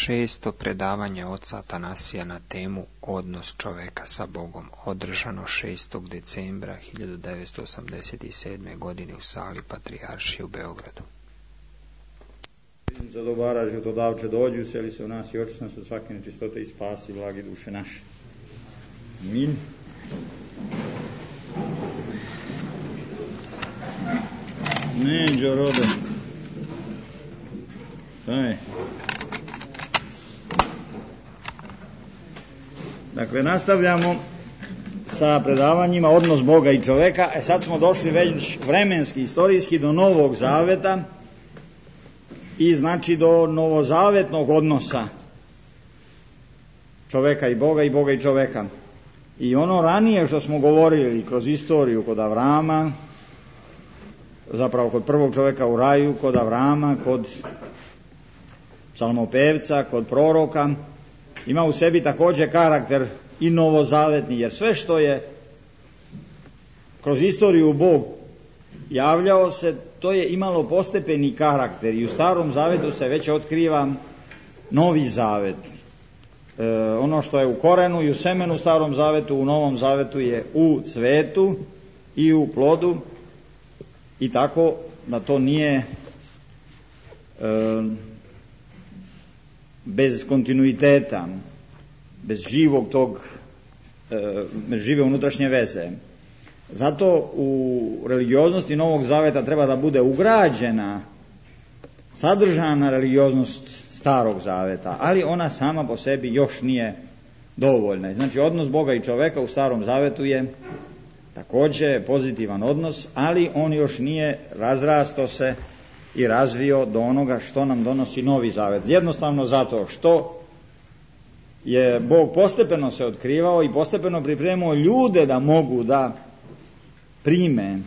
Šesto predavanje oca Atanasija na temu Odnos čoveka sa Bogom, održano 6. decembra 1987. godine u sali Patrijaršije u Beogradu. Za dobara životodavče dođi, useli se u nas i očisti nas od svake nečistote i spasi blagi duše naše. Amin. Neđo rode. Daj. Dakle, nastavljamo sa predavanjima Odnos Boga i čoveka. Sad smo došli već vremenski, istorijski do Novog Zaveta i znači do novozavetnog odnosa čoveka i Boga i čoveka. I ono ranije što smo govorili kroz istoriju kod Avrama, zapravo kod prvog čoveka u raju, kod Avrama, kod psalmopevca, kod proroka, ima u sebi također karakter i novozavetni, jer sve što je kroz istoriju Bog javljao se, to je imalo postepeni karakter i u Starom Zavetu se već otkriva Novi Zavet. Ono što je u korenu i u semenu u Starom Zavetu, u Novom Zavetu je u cvetu i u plodu, i tako da to nije bez kontinuiteta, bez živog tog, bez žive unutrašnje veze. Zato u religioznosti Novog Zaveta treba da bude ugrađena, sadržana religioznost Starog Zaveta, ali ona sama po sebi još nije dovoljna. Znači, odnos Boga i čoveka u Starom Zavetu je također pozitivan odnos, ali on još nije razrastao se i razvio do onoga što nam donosi Novi Zavet. Jednostavno zato što je Bog postepeno se otkrivao i postepeno pripremao ljude da mogu da prime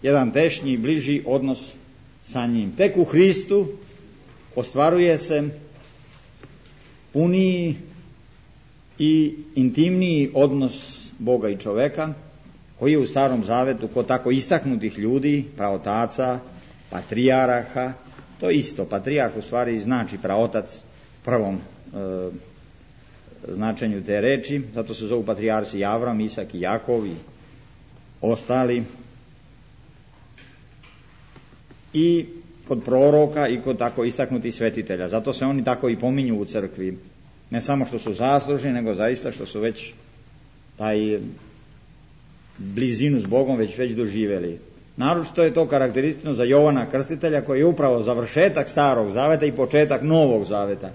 jedan tešnji, bliži odnos sa njim. Tek u Hristu ostvaruje se puniji i intimniji odnos Boga i čoveka, koji je u Starom Zavetu kod tako istaknutih ljudi, praotaca, patrijaraha, to isto, patrijarh u stvari znači praotac prvom značenju te reči, zato se zovu patrijarsi Avram, Isak i Jakov i ostali, i kod proroka i kod tako istaknutih svetitelja. Zato se oni tako i pominju u crkvi, ne samo što su zaslužni, nego zaista što su već taj blizinu s Bogom već doživjeli. Naročito je to karakteristično za Jovana Krstitelja, koji je upravo završetak Starog Zaveta i početak Novog Zaveta.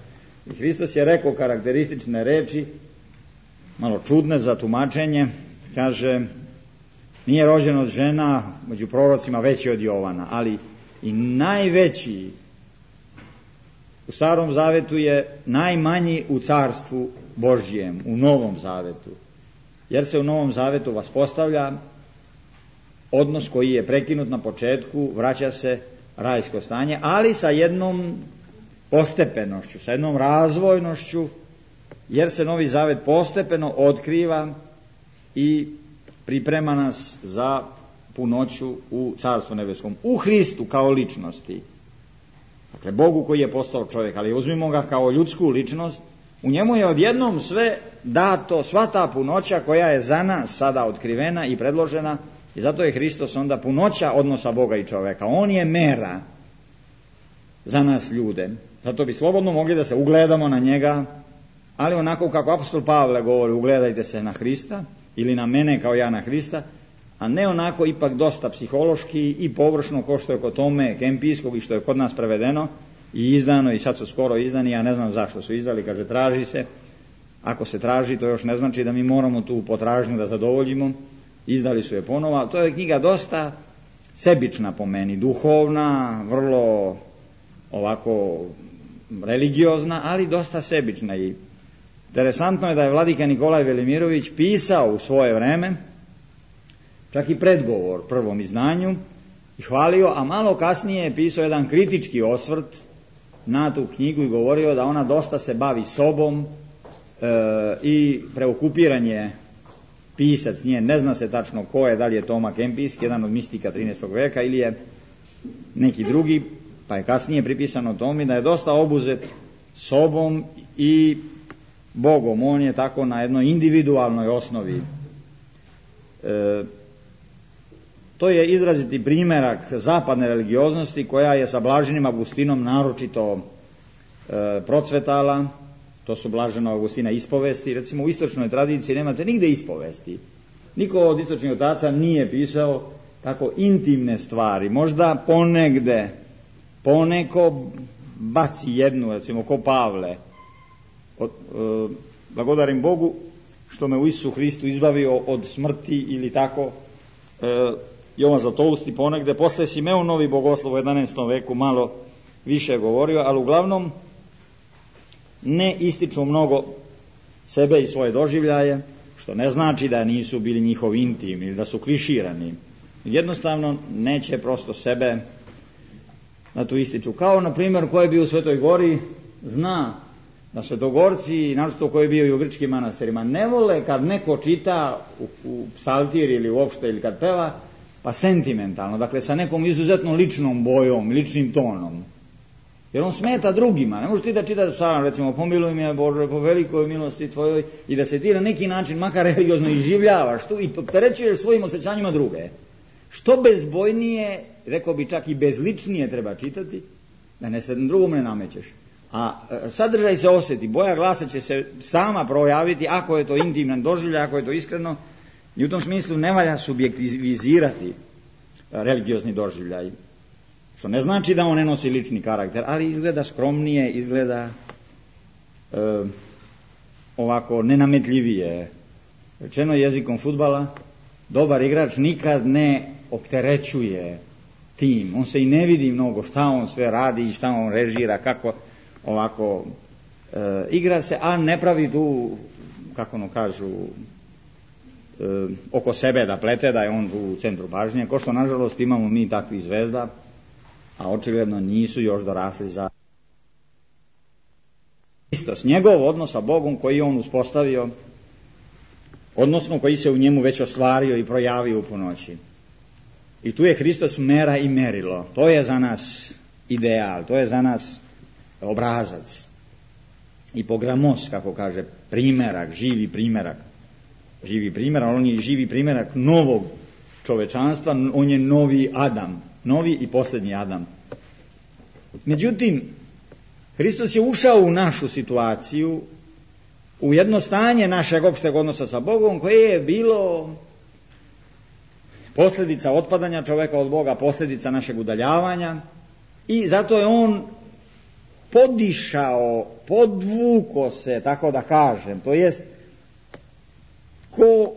I Hristos je rekao karakteristične reči, malo čudne za tumačenje, kaže: nije rođen od žena među prorocima veći od Jovana, ali i najveći u Starom Zavetu je najmanji u Carstvu Božjem, u Novom Zavetu. Jer se u Novom Zavetu vaspostavlja odnos koji je prekinut na početku, vraća se rajsko stanje, ali sa jednom postepenošću, sa jednom razvojnošću, jer se Novi Zavet postepeno otkriva i priprema nas za punoću u Carstvu nebeskom, u Hristu kao ličnosti. Dakle, Bogu koji je postao čovjek, ali uzmimo ga kao ljudsku ličnost, u njemu je odjednom sve dato, sva ta punoća koja je za nas sada otkrivena i predložena, i zato je Hristos onda punoća odnosa Boga i čoveka. On je mera za nas ljude. Zato bi slobodno mogli da se ugledamo na njega, ali onako kako apostol Pavle govori, ugledajte se na Hrista ili na mene kao ja na Hrista, a ne onako ipak dosta psihološki i površno kao što je kod Tome Kempijskog i što je kod nas prevedeno i izdano, i sad su skoro izdani, ja ne znam zašto su izdali, kaže traži se. Ako se traži, to još ne znači da mi moramo tu potražnju da zadovoljimo. Izdali su je ponovo. To je knjiga dosta sebična po meni, duhovna, vrlo ovako religiozna, ali dosta sebična. I interesantno je da je vladika Nikolaj Velimirović pisao u svoje vreme čak i predgovor prvom izdanju i hvalio, a malo kasnije je pisao jedan kritički osvrt na tu knjigu i govorio da ona dosta se bavi sobom i preokupiran je pisac nje, ne zna se tačno ko je, da li je Toma Kempijski, jedan od mistika 13. veka, ili je neki drugi, pa je kasnije pripisano Tomi da je dosta obuzet sobom i Bogom. On je tako na jednoj individualnoj osnovi. To je izraziti primjerak zapadne religioznosti koja je sa Blaženim Augustinom naročito procvetala. To su Blaženog Augustina ispovesti. Recimo u istočnoj tradiciji nemate nigde ispovesti. Niko od istočnih otaca nije pisao tako intimne stvari. Možda poneko baci jednu, recimo ko Pavle. Blagodarim Bogu što me u Isusu Hristu izbavio od smrti ili tako. Jovan Zlatoust i ponegde. Posle Simeonovi bogoslov u 11. veku malo više govorio, ali uglavnom ne ističu mnogo sebe i svoje doživljaje, što ne znači da nisu bili njihov intim ili da su kliširani. Jednostavno neće prosto sebe da tu ističu. Kao, na primjer, ko je bio u Svetoj Gori, zna da Svetogorci, naročito ko je bio i u grčkim manastirima, ne vole kad neko čita u psaltir ili uopšte ili kad peva, pa sentimentalno, dakle sa nekom izuzetno ličnom bojom, ličnim tonom. Jer on smeta drugima. Ne možeš ti da čitaš psalam, recimo, pomiluj me Bože po velikoj milosti tvojoj, i da se ti na neki način makar religiozno iživljavaš tu i opterećuješ svojim osjećanjima druge. Što bezbojnije, rekao bi čak i bezličnije treba čitati, da ne se drugom ne namećeš. A sadržaj se osjeti, boja glasa će se sama projaviti ako je to intiman doživljaj, ako je to iskreno. I u tom smislu ne valja subjektivizirati religiozni doživljaj. Što ne znači da on ne nosi lični karakter, ali izgleda skromnije, izgleda ovako nenametljivije. Rečeno jezikom fudbala, dobar igrač nikad ne opterećuje tim. On se i ne vidi mnogo šta on sve radi i šta on režira, kako ovako igra se, a ne pravi tu, kako ono kažu, oko sebe da plete, da je on u centru pažnje, ko što nažalost imamo mi takvih zvezda, a očigledno nisu još dorasli za Hristos, njegov odnos sa Bogom koji on uspostavio, odnosno koji se u njemu već ostvario i projavio u punoći. I tu je Hristos mera i merilo. To je za nas ideal, to je za nas obrazac. I pogramos, kako kaže, primerak, živi primerak. Živi primerak, on je živi primerak novog čovečanstva, on je novi Adam, novi i posljednji Adam. Međutim, Hristos je ušao u našu situaciju, u jedno stanje našeg opšteg odnosa sa Bogom, koje je bilo posljedica otpadanja čoveka od Boga, posljedica našeg udaljavanja, i zato je on podišao, podvuko se, tako da kažem, to jest ko,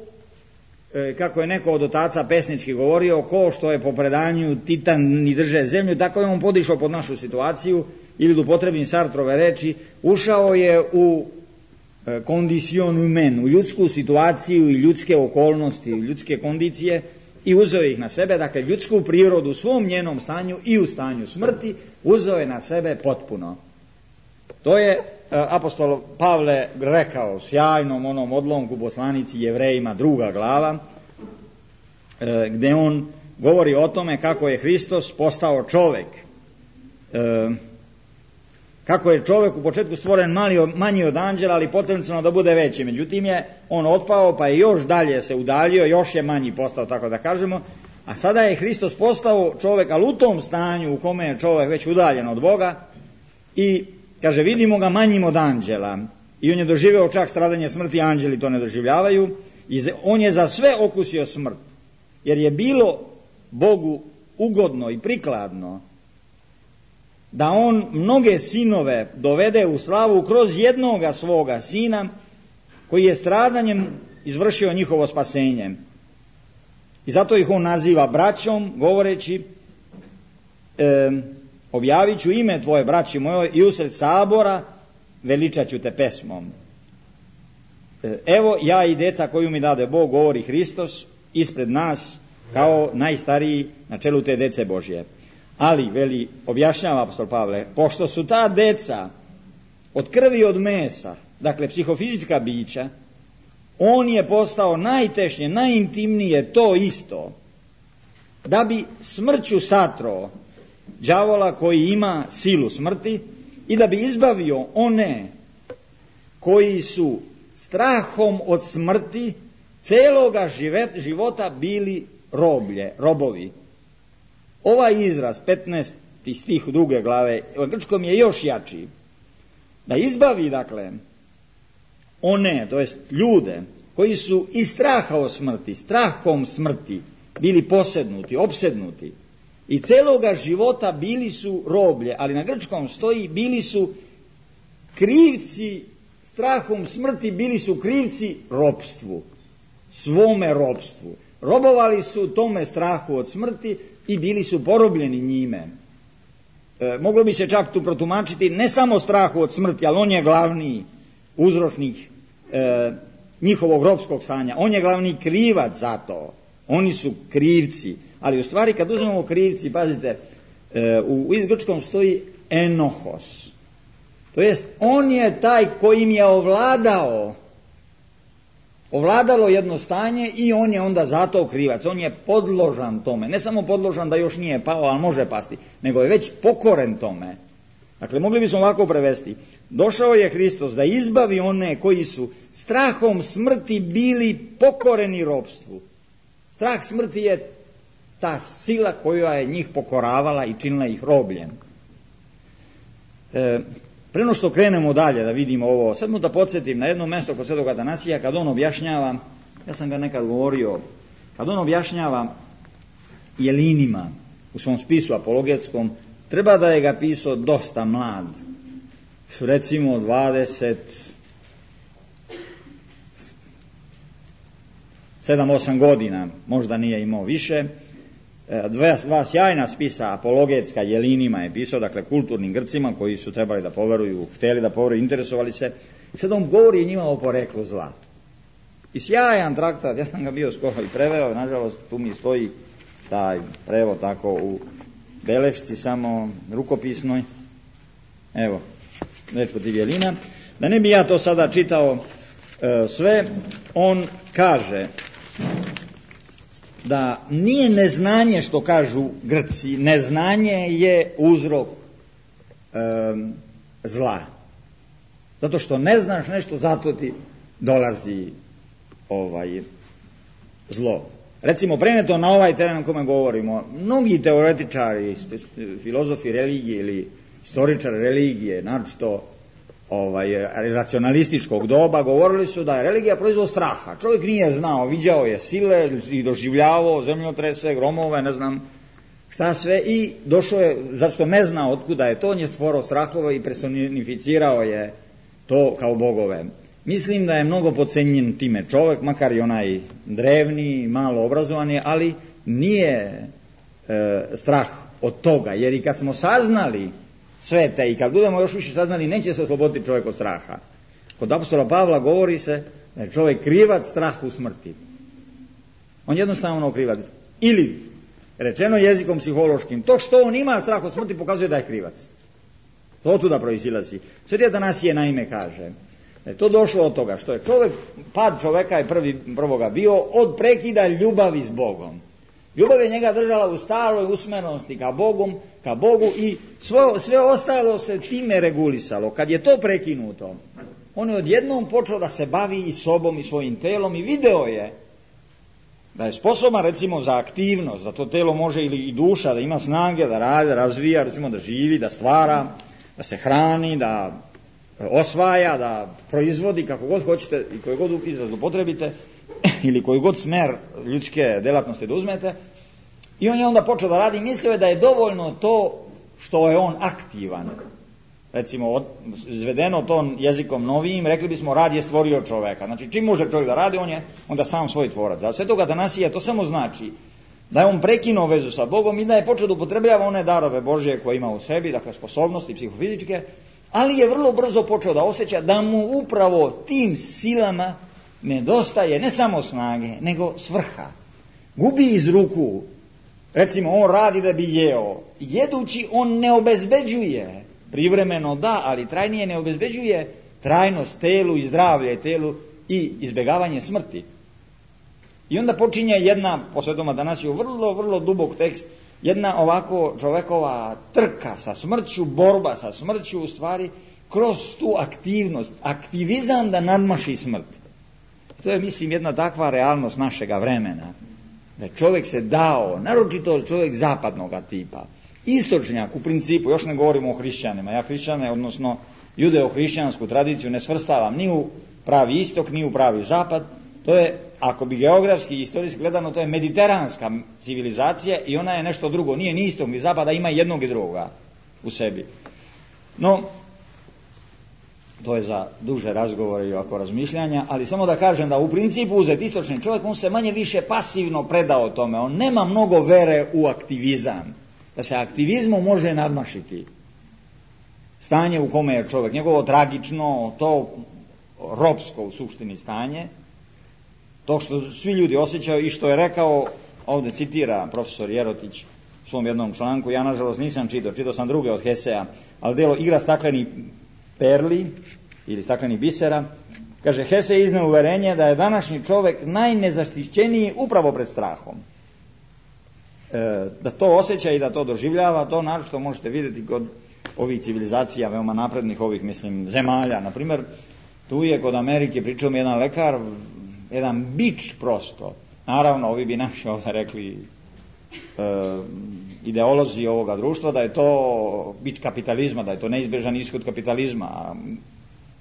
kako je neko od otaca pesnički govorio, ko što je po predanju titan i drže zemlju, tako je on podišao pod našu situaciju, ili da upotrebim Sartrove reči, ušao je u condition humaine, u ljudsku situaciju i ljudske okolnosti, ljudske kondicije, i uzeo ih na sebe, dakle ljudsku prirodu u svom njenom stanju i u stanju smrti uzeo je na sebe potpuno. To je apostol Pavle rekao sjajnom onom odlomku poslanici Jevrejima 2. glava, gdje on govori o tome kako je Hristos postao čovek. Kako je čovjek u početku stvoren manji od anđela, ali potencijalno da bude veći. Međutim je on otpao, pa je još dalje se udaljio, još je manji postao, tako da kažemo. A sada je Hristos postao čovjek, ali u tom stanju u kome je čovjek već udaljen od Boga, i kaže, vidimo ga manjim od anđela. I on je doživeo čak stradanje smrti, anđeli to ne doživljavaju. I on je za sve okusio smrt. Jer je bilo Bogu ugodno i prikladno da on mnoge sinove dovede u slavu kroz jednoga svoga sina, koji je stradanjem izvršio njihovo spasenje. I zato ih on naziva braćom, govoreći, objavit ću ime tvoje, braći mojoj, i usred sabora veličat ću te pesmom. Evo ja i deca koju mi dade Bog, govori Hristos, ispred nas kao najstariji na čelu te dece Božje. Ali, veli, objašnjava apostol Pavle, pošto su ta deca od krvi i od mesa, dakle psihofizička bića, on je postao najtešnje, najintimnije to isto, da bi smrću satro đavola koji ima silu smrti i da bi izbavio one koji su strahom od smrti celoga života bili robovi. Ovaj izraz, 15. stih 2. glave, u grčkom je još jači. Da izbavi, dakle, one, to jest ljude, koji su iz straha od smrti, strahom smrti, bili posednuti, opsednuti i celoga života bili su roblje, ali na grčkom stoji bili su krivci, strahom smrti bili su krivci ropstvu, svome ropstvu. Robovali su tome strahu od smrti i bili su porobljeni njime. Moglo bi se čak tu protumačiti ne samo strahu od smrti, ali on je glavni uzročnik njihovog ropskog stanja. On je glavni krivac za to. Oni su krivci. Ali u stvari kad uzmemo krivci, pazite, u grčkom stoji enohos. To jest, on je taj kojim je ovladalo jedno stanje i on je onda zato krivac. On je podložan tome. Ne samo podložan da još nije pao, ali može pasti, nego je već pokoren tome. Dakle, mogli bismo ovako prevesti. Došao je Hristos da izbavi one koji su strahom smrti bili pokoreni ropstvu. Strah smrti je ta sila koja je njih pokoravala i činila ih robljem. Pre no što krenemo dalje da vidimo ovo, sad mu da podsjetim na jedno mjesto kod Svetog Atanasija kad on objašnjava, ja sam ga nekad govorio, kad on objašnjava Jelinima u svom spisu apologetskom, treba da je ga pisao dosta mlad, recimo 27-8 godina, možda nije imao više. Dva sjajna spisa apologetska Jelinima je pisao, dakle kulturnim Grcima koji su trebali da poveruju, htjeli da poveruju, interesovali se. I sad on govori njima o poreklu zla. I sjajan traktat, ja sam ga bio skoro i preveo, nažalost tu mi stoji taj prevod tako u belešci, samo rukopisnoj. Evo, reč kod Jelina. Da ne bi ja to sada čitao sve, on kaže da nije neznanje, što kažu Grci, neznanje je uzrok zla. Zato što ne znaš nešto, zato ti dolazi zlo. Recimo, preneto na ovaj teren o kome govorimo, mnogi teoretičari, filozofi religije ili istoričari religije, naročito racionalističkog doba, govorili su da je religija proizvod straha. Čovjek nije znao, viđao je sile i doživljavao zemljotrese, gromove, ne znam šta sve, i došao je, zato što ne zna otkuda je to, on je stvorao strahove i personificirao je to kao bogove. Mislim da je mnogo podcenjen time čovjek, makar i onaj drevni, malo obrazovani, ali nije strah od toga, jer i kad smo saznali sve te i kad budemo još više saznali, neće se osloboditi čovjek od straha. Kod apostola Pavla govori se da je čovjek krivac strahu smrti. On jednostavno krivac. Ili, rečeno jezikom psihološkim, to što on ima strah od smrti pokazuje da je krivac. To tuda proizilazi. Sveti Atanasije naime kaže da je to došlo od toga što je pad čovjeka je prvoga bio od prekida ljubavi s Bogom. Ljubav je njega držala u staloj usmerenosti ka Bogu i sve ostalo se time regulisalo. Kad je to prekinuto, on je odjednom počeo da se bavi i sobom i svojim telom i video je da je sposoban recimo za aktivnost, da to telo može ili i duša, da ima snage, da radi, da razvija, recimo da živi, da stvara, da se hrani, da osvaja, da proizvodi kako god hoćete i koji god izraz upotrebite ili koji god smer ljudske delatnosti da uzmete. I on je onda počeo da radi i mislio je da je dovoljno to što je on aktivan. Recimo, izvedeno to jezikom novijim, rekli bismo rad je stvorio čoveka. Znači, čim može čovjek da radi, on je onda sam svoj tvorac. Za Svetog Atanasija to samo znači da je on prekinuo vezu sa Bogom i da je počeo da upotrebljava one darove Božje koje ima u sebi, dakle sposobnosti psihofizičke, ali je vrlo brzo počeo da osjeća da mu upravo tim silama nedostaje ne samo snage, nego svrha. Gubi iz ruku. Recimo, on radi da bi jeo. Jedući, on ne obezbeđuje, privremeno da, ali trajnije ne obezbeđuje trajnost telu i zdravlje telu i izbjegavanje smrti. I onda počinje jedna, po Svetom Atanasiju, vrlo, vrlo dubok tekst jedna ovako čovekova trka sa smrću, borba sa smrću, u stvari kroz tu aktivnost, aktivizam da nadmaši smrt. To je, mislim, jedna takva realnost našega vremena. Da je čovjek se dao, naročito čovjek zapadnog tipa, istočnjak u principu, još ne govorimo o hrišćanima, ja hrišćane, odnosno judeo-hrišćansku tradiciju ne svrstavam ni u pravi istok, ni u pravi zapad. To je, ako bi geografski i istorijski gledano, to je mediteranska civilizacija i ona je nešto drugo, nije ni istok ni zapada, ima jednog i drugoga u sebi. No, to je za duže razgovore i ovako razmišljanja, ali samo da kažem da u principu uzeti istočni čovjek, on se manje više pasivno predao tome, on nema mnogo vere u aktivizam, da se aktivizmom može nadmašiti stanje u kome je čovjek, njegovo tragično, to ropsko u suštini stanje, to što svi ljudi osjećaju i što je rekao, ovdje citira profesor Jerotić u svom jednom članku, ja nažalost nisam čitao sam druge od Hesea, ali delo Igra staklenih perli ili staklenih bisera, kaže, Hese izneo uverenje da je današnji čovjek najnezaštićeniji upravo pred strahom. Da to osjeća i da to doživljava, to naročito možete vidjeti kod ovih civilizacija veoma naprednih, ovih, mislim, zemalja. Naprimjer, tu je kod Amerike, pričao mi jedan lekar, jedan bič prosto. Naravno, ovi bi naši ovdje rekli ideolozi ovoga društva, da je to bič kapitalizma, da je to neizbježan ishod kapitalizma.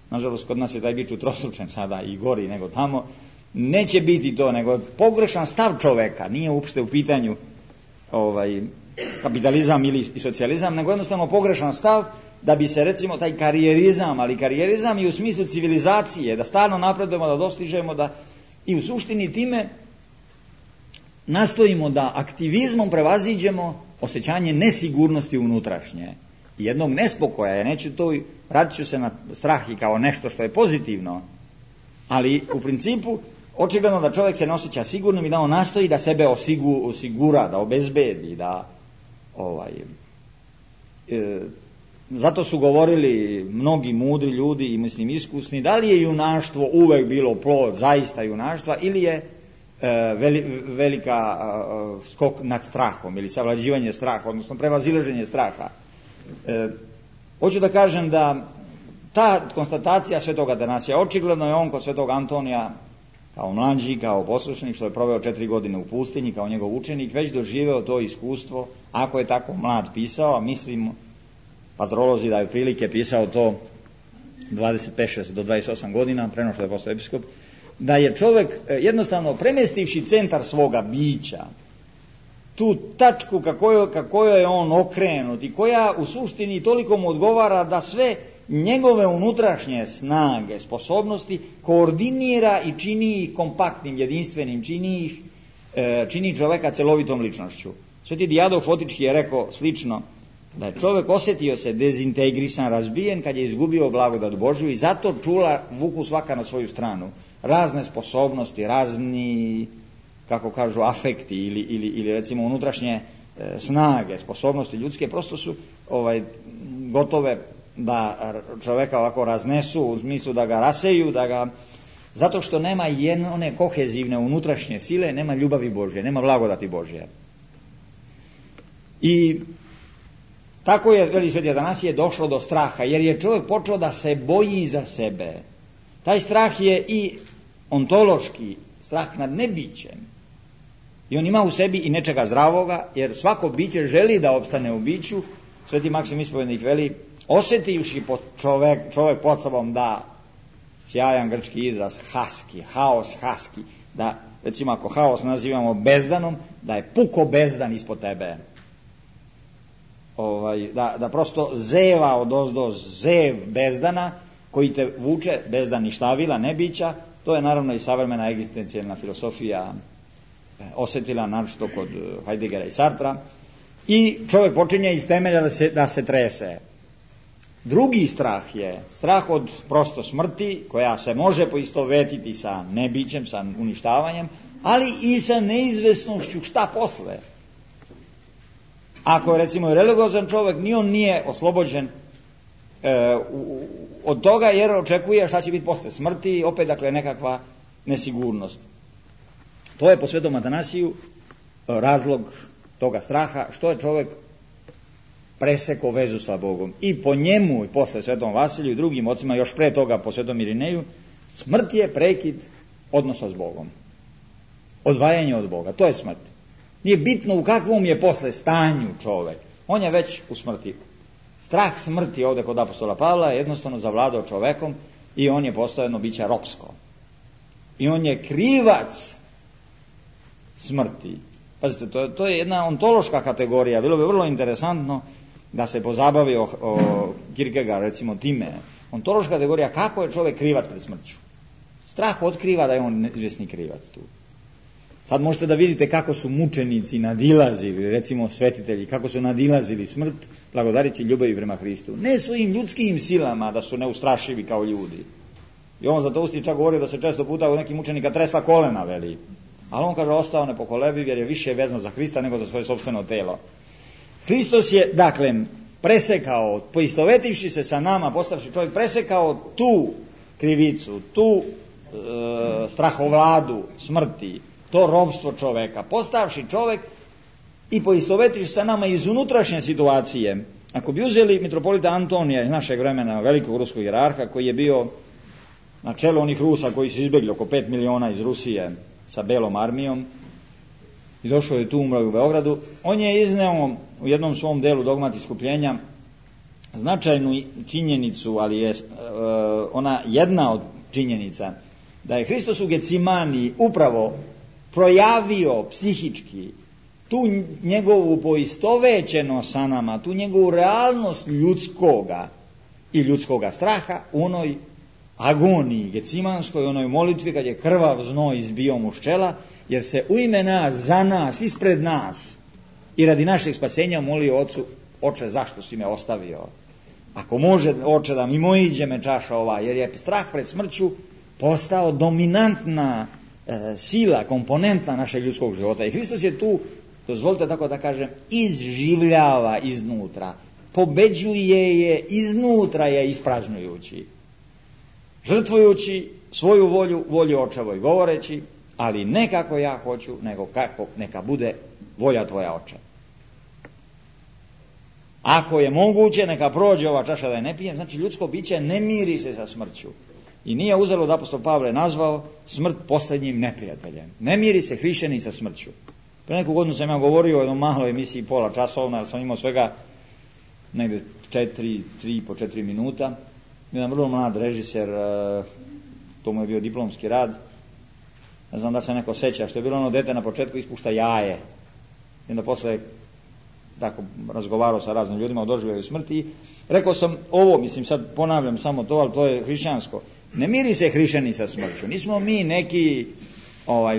Nažalost, kod nas je taj bič utrostručen sada i gori nego tamo. Neće biti to, nego pogrešan stav čoveka, nije uopšte u pitanju kapitalizam ili socijalizam, nego jednostavno pogrešan stav da bi se, recimo, taj karijerizam, ali karijerizam i u smislu civilizacije, da stalno napredujemo, da dostižemo, da i u suštini time nastojimo da aktivizmom prevaziđemo osjećanje nesigurnosti unutrašnje i jednog nespokoja. Ja neću to, radit ću se na strah i kao nešto što je pozitivno, ali u principu očigledno da čovjek se ne osjeća sigurnim i da on nastoji da sebe osigura, da obezbedi, da zato su govorili mnogi mudri ljudi i, mislim, iskusni, da li je junaštvo uvek bilo plod zaista junaštva ili je velika skok nad strahom ili savlađivanje straha, odnosno prevazilaženje straha. Hoću da kažem da ta konstatacija svetoga Atanasija, očigledno je on kod svetog Antonija kao mlađi, kao poslušnik, što je proveo 4 godine u pustinji, kao njegov učenik, već doživeo to iskustvo, ako je tako mlad pisao, a mislim patrolozi da je prilike pisao to 25 do 28 godina, preno što je postao episkop, da je čovjek jednostavno premestivši centar svoga bića, tu tačku kako je on okrenut i koja u suštini toliko mu odgovara da sve njegove unutrašnje snage, sposobnosti koordinira i čini ih kompaktnim, jedinstvenim, čini čovjeka celovitom ličnošću. Sveti Dijadok Fotički je rekao slično, da je čovjek osjetio se dezintegrisan, razbijen kad je izgubio blagodat Božju i zato čula vuku svaka na svoju stranu. Razne sposobnosti, razni, kako kažu, afekti ili recimo unutrašnje snage, sposobnosti ljudske prosto su gotove da čovjeka ovako raznesu, u smislu da ga raseju, zato što nema one kohezivne unutrašnje sile, nema ljubavi Božje, nema blagodati Božje. I tako je, veli sveti Atanasije, došlo do straha, jer je čovjek počeo da se boji za sebe. Taj strah je i ontološki, strah nad nebićem. I on ima u sebi i nečega zdravoga, jer svako biće želi da opstane u biću. Sveti Maksim Ispovednik veli, osjetivši čovjek pod sobom da, sjajan grčki izraz, haski, haos haski, da, recimo ako haos nazivamo bezdanom, da je puko bezdan ispod tebe. Da prosto zeva odozdo, zev bezdana koji te vuče, bezdan ništavila, nebića. To je naravno i savremena egzistencijalna filosofija osjetila, naročito kod Heideggera i Sartra, i čovjek počinje iz temelja da se trese. Drugi strah je strah od prosto smrti, koja se može poistovetiti sa nebićem, sa uništavanjem, ali i sa neizvesnošću šta posle. Ako je recimo religiozan čovjek, ni on nije oslobođen od toga, jer očekuje šta će biti posle smrti, opet dakle nekakva nesigurnost. To je po svetom Atanasiju razlog toga straha, što je čovjek presekao vezu sa Bogom. I po njemu, i posle Svetom Vasiliju i drugim ocima, još pre toga po Svetom Irineju, smrt je prekid odnosa s Bogom. Odvajanje od Boga, to je smrt. Nije bitno u kakvom je posle stanju čovjek, on je već u smrti. Strah smrti ovdje kod apostola Pavla je jednostavno zavladao čovekom i on je postao jedno biće ropsko. I on je krivac smrti. Pazite, to je jedna ontološka kategorija. Bilo bi vrlo interesantno da se pozabavi o Kierkegaard, recimo time. Ontološka kategorija, kako je čovjek krivac pred smrću. Strah otkriva da je on izvjesni krivac tu. Sad možete da vidite kako su mučenici nadilazili, recimo svetitelji, kako su nadilazili smrt, blagodarići ljubavi prema Hristu. Ne svojim ljudskim silama da su neustrašivi kao ljudi. I on za to usti čak govori da se često puta u nekim mučenika tresla kolena, veli. Ali on kaže ostao nepokolebiv jer je više vezan za Hrista nego za svoje sopstveno telo. Hristos je, dakle, presekao, poistovetivši se sa nama, postavši čovjek, presekao tu krivicu, tu strahovladu smrti, to ropstvo čoveka, postavši čovjek i poistovetivši sa nama iz unutrašnje situacije. Ako bi uzeli mitropolita Antonija iz našeg vremena, velikog ruskog hijerarha, koji je bio na čelu onih Rusa koji su izbjegli oko 5 miliona iz Rusije sa belom armijom i došao je tu, umro u Beogradu, on je izneo u jednom svom delu Dogmat iskupljenja značajnu činjenicu, ali je ona jedna od činjenica, da je Hristos u Gecimani upravo projavio psihički tu njegovu poistovećenost sa nama, tu njegovu realnost ljudskoga i ljudskoga straha u onoj agoniji gecimanskoj, onoj molitvi kad je krvav znoj izbio mu s čela, jer se u ime nas, za nas, ispred nas i radi našeg spasenja molio Ocu: Oče, zašto si me ostavio? Ako može, Oče, da mi mojiđe me čaša ova, jer je strah pred smrću postao dominantna sila, komponentna našeg ljudskog života. I Hristos je tu, dozvolite tako da kažem, izživljava iznutra, pobeđuje je iznutra je ispražnjujući, žrtvujući svoju volju, volju Očevoj govoreći, ali ne kako ja hoću, nego kako neka bude volja tvoja, Oče. Ako je moguće, neka prođe ova čaša da je ne pijem. Znači, ljudsko biće ne miri se sa smrću. I nije uzelo da apostol Pavle nazvao smrt posljednjim neprijateljem. Ne miri se hrišćanin sa smrću. Pre neku godinu sam ja govorio o jednom maloj emisiji pola časovna, jer sam imao svega negdje 3,5-4 minuta. Jedan vrlo mlad režiser, to mu je bio diplomski rad, ne znam da se neko seća, što je bilo ono dete na početku ispušta jaje. I onda posle tako razgovarao sa raznim ljudima o doživljaju smrti. Rekao sam ovo, mislim sad ponavljam samo to, ali to je hrišćansko. Ne miri se hrišćani sa smrću. Nismo mi neki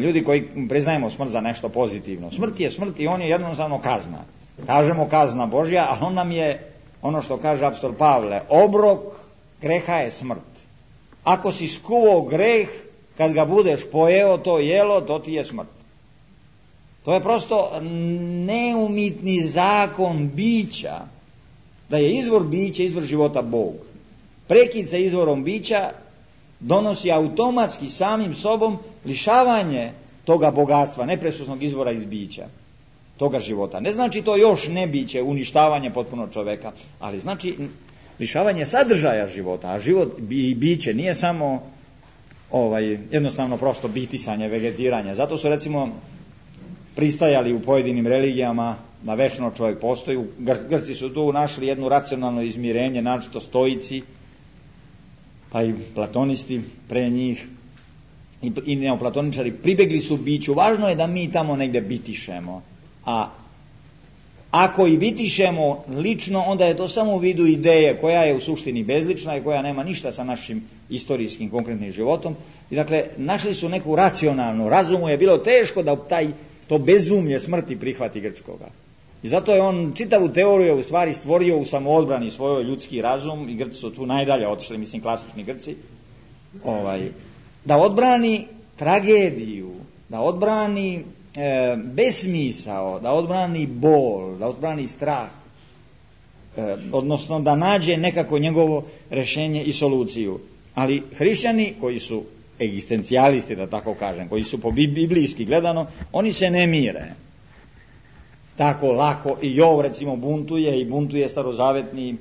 ljudi koji priznajemo smrt za nešto pozitivno. Smrt je smrt i on je jednostavno kazna. Kažemo kazna Božja, ali on nam je, ono što kaže apostol Pavle, obrok greha je smrt. Ako si skuvao greh, kad ga budeš pojeo, to jelo, to ti je smrt. To je prosto neumitni zakon bića, da je izvor bića, izvor života Bog. Prekid sa izvorom bića donosi automatski samim sobom lišavanje toga bogatstva, nepresusnog izvora iz bića, toga života. Ne znači to još ne biće, uništavanje potpuno čoveka, ali znači lišavanje sadržaja života, a život i biće nije samo jednostavno prosto bitisanje, vegetiranje. Zato su recimo pristajali u pojedinim religijama da večno čovjek postoji. Grci su tu našli jedno racionalno izmirenje, naročito stoici, pa i platonisti pre njih i neoplatoničari pribegli su biću. Važno je da mi tamo negdje bitišemo, a ako i bitišemo lično, onda je to samo u vidu ideje koja je u suštini bezlična i koja nema ništa sa našim istorijskim konkretnim životom. I dakle, našli su neku racionalnu, razumu je bilo teško da to bezumlje smrti prihvati grčkoga. I zato je on čitavu teoriju u stvari stvorio u samoodbrani svojoj ljudski razum, i Grci su tu najdalje otišli, mislim klasični Grci, da odbrani tragediju, da odbrani besmisao, da odbrani bol, da odbrani strah, odnosno da nađe nekako njegovo rješenje i soluciju. Ali hrišćani koji su egzistencijalisti, da tako kažem, koji su po biblijski gledano, oni se ne mire. tako lako. I Jov recimo buntuje i buntuje starozavetni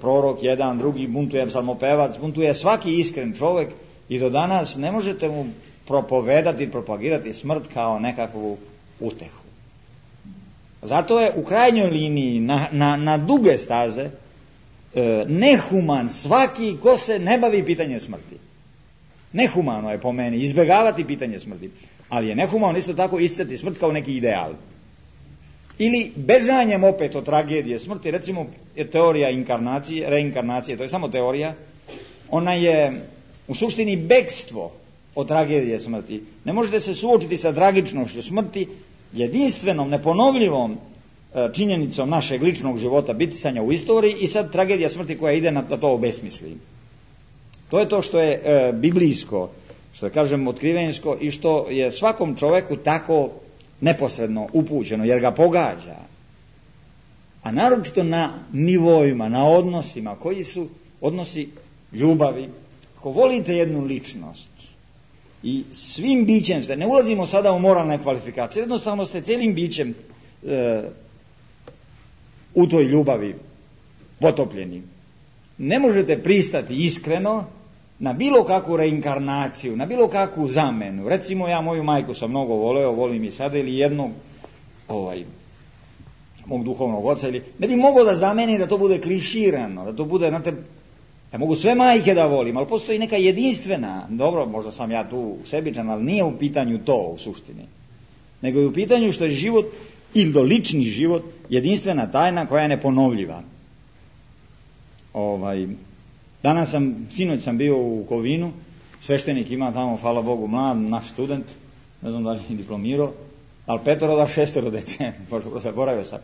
prorok, jedan, drugi, buntuje psalmopevac, buntuje svaki iskren čovjek i do danas ne možete mu propovedati, propagirati smrt kao nekakvu utehu. Zato je u krajnjoj liniji na duge staze nehuman svaki ko se ne bavi pitanjem smrti. Nehumano je po meni izbjegavati pitanje smrti, ali je nehumano isto tako isticati smrt kao neki ideal. Ili bežanjem opet od tragedije smrti, recimo je teorija inkarnacije, reinkarnacije, to je samo teorija, ona je u suštini bekstvo od tragedije smrti. Ne možete se suočiti sa tragičnošću smrti, jedinstvenom, neponovljivom činjenicom našeg ličnog života, bitisanja u istoriji i sad tragedija smrti koja ide na to obesmisli. To je to što je biblijsko, što je kažem otkrivenjsko i što je svakom čovjeku tako neposredno upućeno jer ga pogađa. A naročito na nivoima, na odnosima koji su odnosi ljubavi. Ako volite jednu ličnost i svim bićem ste, ne ulazimo sada u moralne kvalifikacije, jednostavno ste cijelim bićem u toj ljubavi potopljeni. Ne možete pristati iskreno na bilo kakvu reinkarnaciju, na bilo kakvu zamenu. Recimo ja moju majku sam mnogo voleo, volim i sada, ili jednog mog duhovnog oca, ili ne bi mogao da zameni da to bude kliširano, da to bude, znate, ja mogu sve majke da volim, ali postoji neka jedinstvena, dobro, možda sam ja tu sebičan, ali nije u pitanju to u suštini, nego je u pitanju što je život, ili lični život, jedinstvena tajna koja je neponovljiva. Sinoć sam bio u Kovinu, sveštenik ima tamo, hvala Bogu, mlad, naš student, ne znam da li je diplomirao, ali 5 do 6 dece, možda zaboravio sam.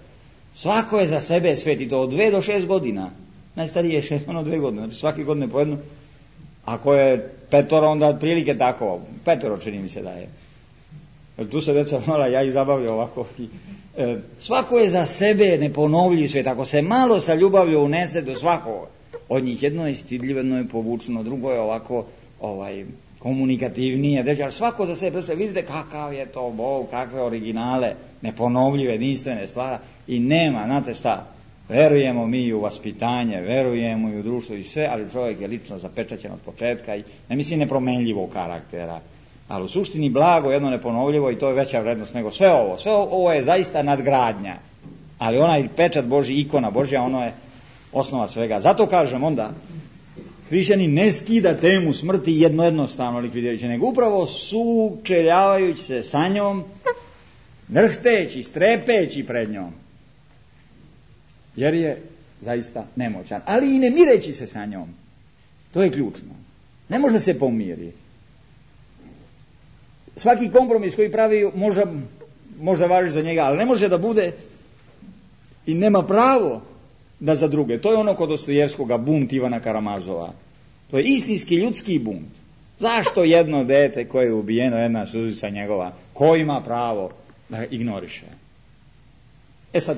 Svako je za sebe svet i to od 2 do 6 godina. Najstariji je 6, 2 godine, znači svake godine po jednu. Ako je 5, onda otprilike tako, 5 čini mi se da je. Tu se deca mala, ja ih zabavljam ovako. Svako je za sebe neponovljiv svet, ako se malo sa ljubavlju unese do svakog od njih, jedno je stidljivo, jedno je povučno, drugo je ovako komunikativnije, ali svako za sebe, vidite kakav je to Bog, kakve originale, neponovljive, jedinstvene stvari i nema, znate šta, verujemo mi u vaspitanje, verujemo i u društvo i sve, ali čovjek je lično zapečaćen od početka i ne mislim nepromenljivog karaktera, ali u suštini blago, jedno neponovljivo i to je veća vrednost nego sve ovo je zaista nadgradnja, ali onaj pečat Božji, ikona Božja, ono je osnova svega. Zato kažem onda, hrišćani ne skida temu smrti jednostavno likvidirajući, nego upravo sučeljavajući se sa njom, drhteći, strepeći pred njom, jer je zaista nemoćan, ali i ne mireći se sa njom. To je ključno. Ne može se pomiri. Svaki kompromis koji pravi možda važi za njega, ali ne može da bude i nema pravo da za druge. To je ono kod Dostojevskoga, bunt Ivana Karamazova. To je istinski ljudski bunt. Zašto jedno dete koje je ubijeno, jedna suzica njegova, ko ima pravo da ga ignoriše? Sad,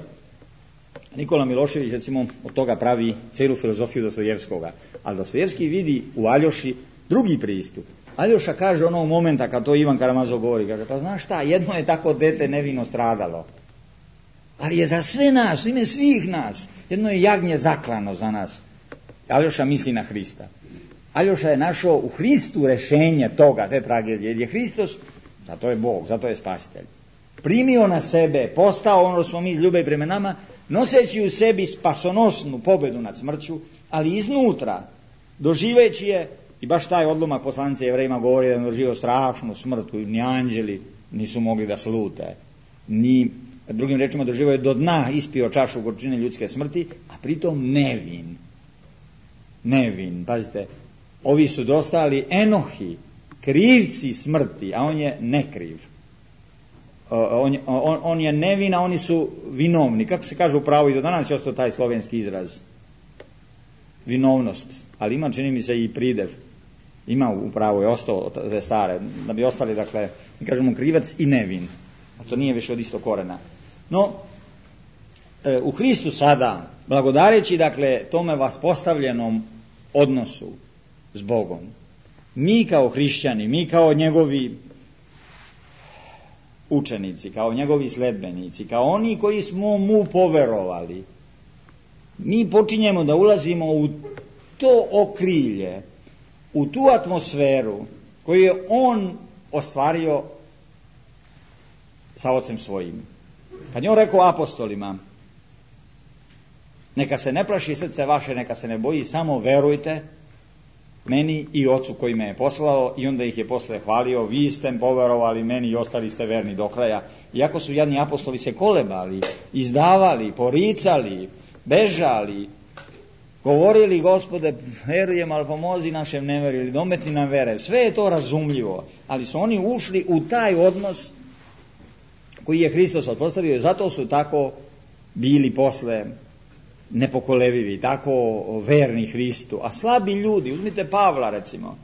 Nikola Milošević recimo od toga pravi cijelu filozofiju Dostojevskoga, ali Dostojevski vidi u Aljoši drugi pristup. Aljoša kaže onog momenta kad to Ivan Karamazov govori, kaže, pa znaš šta, jedno je tako dete nevino stradalo, ali je za sve nas, ime svih nas, jedno je jagnje zaklano za nas. Aljoša misli na Hrista. Aljoša je našao u Hristu rešenje toga, te tragedije, jer je Hristos, zato je Bog, zato je spasitelj, primio na sebe, postao ono što smo mi ljube prema nama, noseći u sebi spasonosnu pobedu nad smrću, ali iznutra, doživeći je, i baš taj odlomak poslanice Jevrejima govori da je doživio strašnu smrt, ni anđeli nisu mogli da slute, ni, drugim rečima, doživio je do dna, ispio čašu gorčine ljudske smrti, a pritom nevin, pazite, ovi su dostali Enohi, krivci smrti, a on je nekriv. On je nevin, a oni su vinovni. Kako se kaže u pravu, i do danas je ostao taj slovenski izraz. Vinovnost. Ali ima, čini mi se, i pridev. Ima u pravu, je ostao te stare. Da bi ostali, dakle, kažemo krivac i nevin. A to nije više od istog korena. No, u Hristu sada, blagodareći, dakle, tome vaspostavljenom odnosu s Bogom, mi kao hrišćani, mi kao njegovi učenici, kao njegovi sledbenici, kao oni koji smo mu poverovali, mi počinjemo da ulazimo u to okrilje, u tu atmosferu koju je on ostvario sa ocem svojim. Kad je on rekao apostolima, neka se ne plaši srce vaše, neka se ne boji, samo verujte meni i ocu koji me je poslao, i onda ih je posle hvalio, vi ste poverovali meni i ostali ste verni do kraja. Iako su jadni apostoli se kolebali, izdavali, poricali, bežali, govorili, Gospode, verujem, ali pomozi našem neverju, ili dometni nam vere. Sve je to razumljivo, ali su oni ušli u taj odnos koji je Hristos otpostavio i zato su tako bili posle nepokolevivi, tako verni Hristu. A slabi ljudi, uzmite Pavla recimo,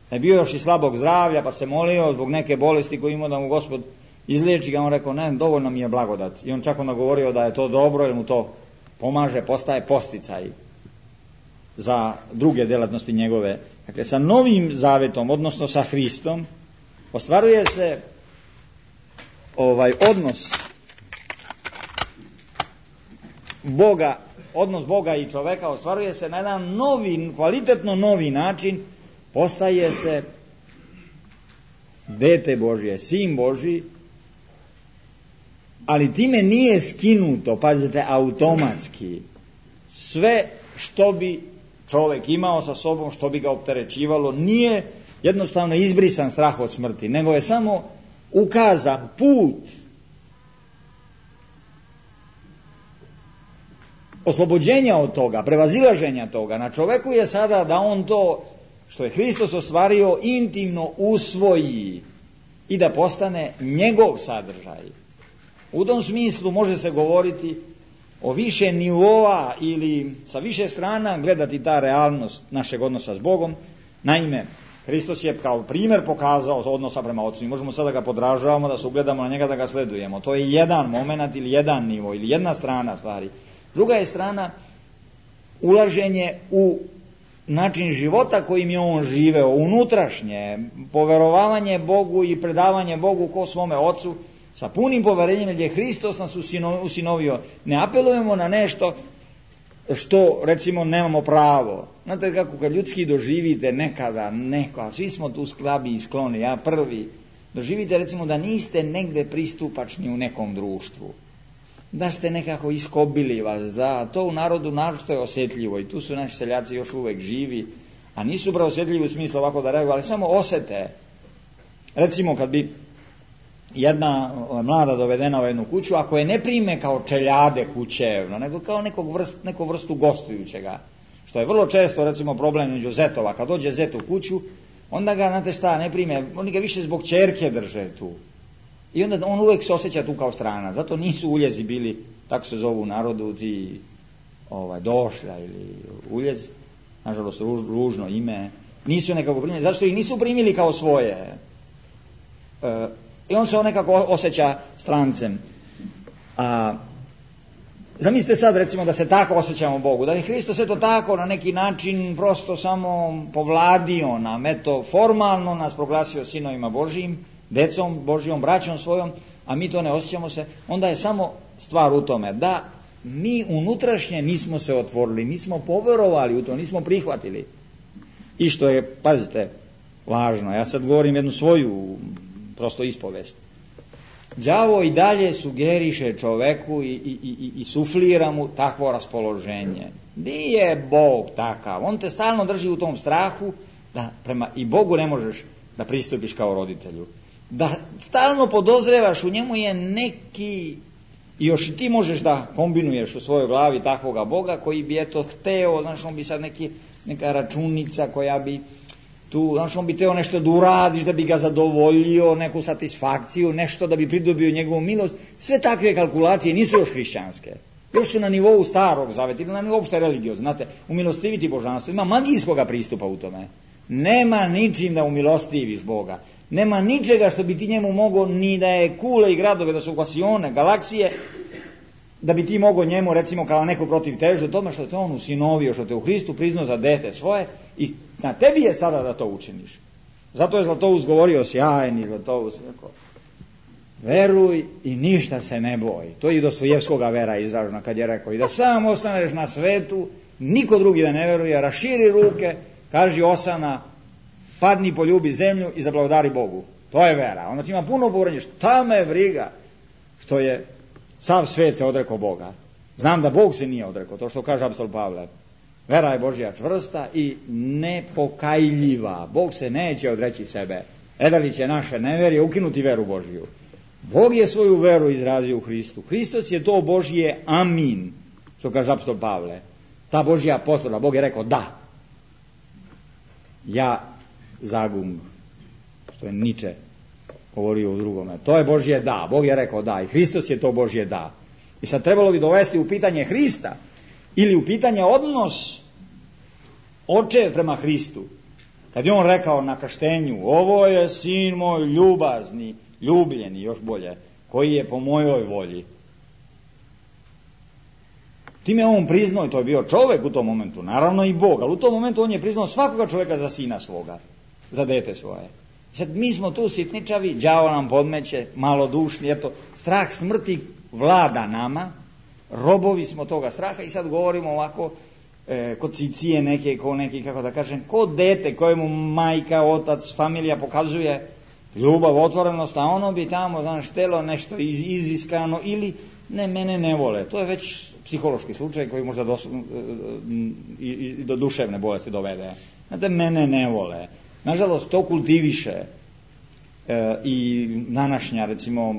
da je bio još i slabog zdravlja, pa se molio zbog neke bolesti koju imao da mu Gospod izliječi ga, on rekao, ne, dovoljno mi je blagodat. I on čak onda govorio da je to dobro, jer mu to pomaže, postaje posticaj za druge delatnosti njegove. Dakle, sa novim zavetom, odnosno sa Hristom, ostvaruje se odnos Boga, odnos Boga i čoveka ostvaruje se na jedan novi, kvalitetno novi način, postaje se dete Božje, sin Božji, ali time nije skinuto, pazite, automatski sve što bi čovek imao sa sobom, što bi ga opterećivalo, nije jednostavno izbrisan strah od smrti, nego je samo ukazan put oslobođenja od toga, prevazilaženja toga. Na čoveku je sada da on to što je Hristos ostvario intimno usvoji i da postane njegov sadržaj. U tom smislu može se govoriti o više nivoa ili sa više strana gledati ta realnost našeg odnosa s Bogom. Naime, Hristos je kao primjer pokazao odnosa prema Ocu. Možemo sada ga podražavamo, da se ugledamo na njega, da ga sledujemo. To je jedan moment ili jedan nivo ili jedna strana stvari. Druga je strana ulaženje u način života kojim je on živeo, unutrašnje, poverovanje Bogu i predavanje Bogu ko svome Ocu, sa punim poverenjem, jer je Hristos nas usinovio. Ne apelujemo na nešto što, recimo, nemamo pravo. Znate kako kad ljudski doživite nekada neko, svi smo tu slabi i skloni, ja prvi, doživite recimo da niste negde pristupačni u nekom društvu, da ste nekako iskobili vas, da to u narodu naročito je osjetljivo i tu su naši seljaci još uvek živi, a nisu preosjetljivi u smislu ovako da reaguju, ali samo osete. Recimo kad bi jedna mlada dovedena u jednu kuću, ako je ne prime kao čeljade kućevno, nego kao neku vrstu gostujućega, što je vrlo često recimo problem među zetova, kad dođe zet u kuću, onda ga, znate šta, ne prime, oni ga više zbog ćerke drže tu. I onda on uvijek se osjeća tu kao strana. Zato nisu uljezi bili, tako se zovu u narodu, ti došlja ili uljez, nažalost ružno ime, nisu nekako primili, zato što ih nisu primili kao svoje. I on se nekako osjeća strancem. Zamislite sad recimo da se tako osjećamo Bogu, da je Hristos eto tako na neki način prosto samo povladio nam, eto formalno nas proglasio sinovima Božijim, decom Božijom, braćom svojom, a mi to ne osjećamo se, onda je samo stvar u tome da mi unutrašnje nismo se otvorili, nismo poverovali u to, nismo prihvatili. I što je, pazite, važno, ja sad govorim jednu svoju prosto ispovest. Đavo i dalje sugeriše čoveku i suflira mu takvo raspoloženje. Nije Bog takav, on te stalno drži u tom strahu da prema i Bogu ne možeš da pristupiš kao roditelju. Da stalno podozrevaš, u njemu je neki, i još i ti možeš da kombinuješ u svojoj glavi takvoga Boga koji bi eto hteo, znaš, on bi sad neka računica koja bi tu, znaš, on bi teo nešto da uradiš da bi ga zadovoljio, neku satisfakciju, nešto da bi pridobio njegovu milost. Sve takve kalkulacije nisu još hrišćanske. Još su na nivou starog zaveta ili na nivou uopšte religiozno. Znate, umilostiviti božanstvo. Ima magijskoga pristupa u tome. Nema ničim da umilostiviš Boga. Nema ničega što bi ti njemu mogao, ni da je kule i gradove, da su kvasione, galaksije, da bi ti mogao njemu, recimo, kao neko protiv težu, tome što te on usinovio, što te u Hristu priznao za dete svoje, i na tebi je sada da to učiniš. Zato je Zlatoust govorio, sjajni Zlatoust, rekao, Veruj i ništa se ne boj. To je i Dostojevskoga vera izražena kad je rekao i da sam ostaneš na svetu, niko drugi da ne veruje, raširi ruke, kaži osana, padni, poljubi zemlju i zablagodari Bogu. To je vera. Onda ima puno povranje, šta me briga što je sav svet se odrekao Boga. Znam da Bog se nije odrekao, to što kaže apostol Pavle. Vera je Božja čvrsta i nepokajljiva. Bog se neće odreći sebe. Edalić je naše neverje ukinuti veru Božju. Bog je svoju veru izrazio u Hristu. Hristos je to Božje amin, što kaže apostol Pavle. Ta Božja potvrda. Bog je rekao da. Ja zagung, što je Niče govorio u drugome. To je Božje da. Bog je rekao da. I Hristos je to Božje da. I sad trebalo bi dovesti u pitanje Hrista ili u pitanje odnos očev prema Hristu. Kad je on rekao na krštenju, ovo je sin moj ljubazni, ljubljeni, još bolje, koji je po mojoj volji. Time on priznao, i to je bio čovjek u tom momentu, naravno i Bog, ali u tom momentu on je priznao svakoga čovjeka za sina svoga, za dete svoje. Sad mi smo tu sitničavi, đavo nam podmeće, malodušni, eto, strah smrti vlada nama, robovi smo toga straha i sad govorimo ovako, kod cicije neke, ko neki, kako da kažem, kod dete kojemu majka, otac, familija pokazuje ljubav, otvorenost, a ono bi tamo, znaš, htjelo nešto iziskano ili ne, mene ne vole. To je već psihološki slučaj koji možda do duševne bolesti dovede. Znate, mene ne vole. Nažalost, to kultiviše i današnja, recimo,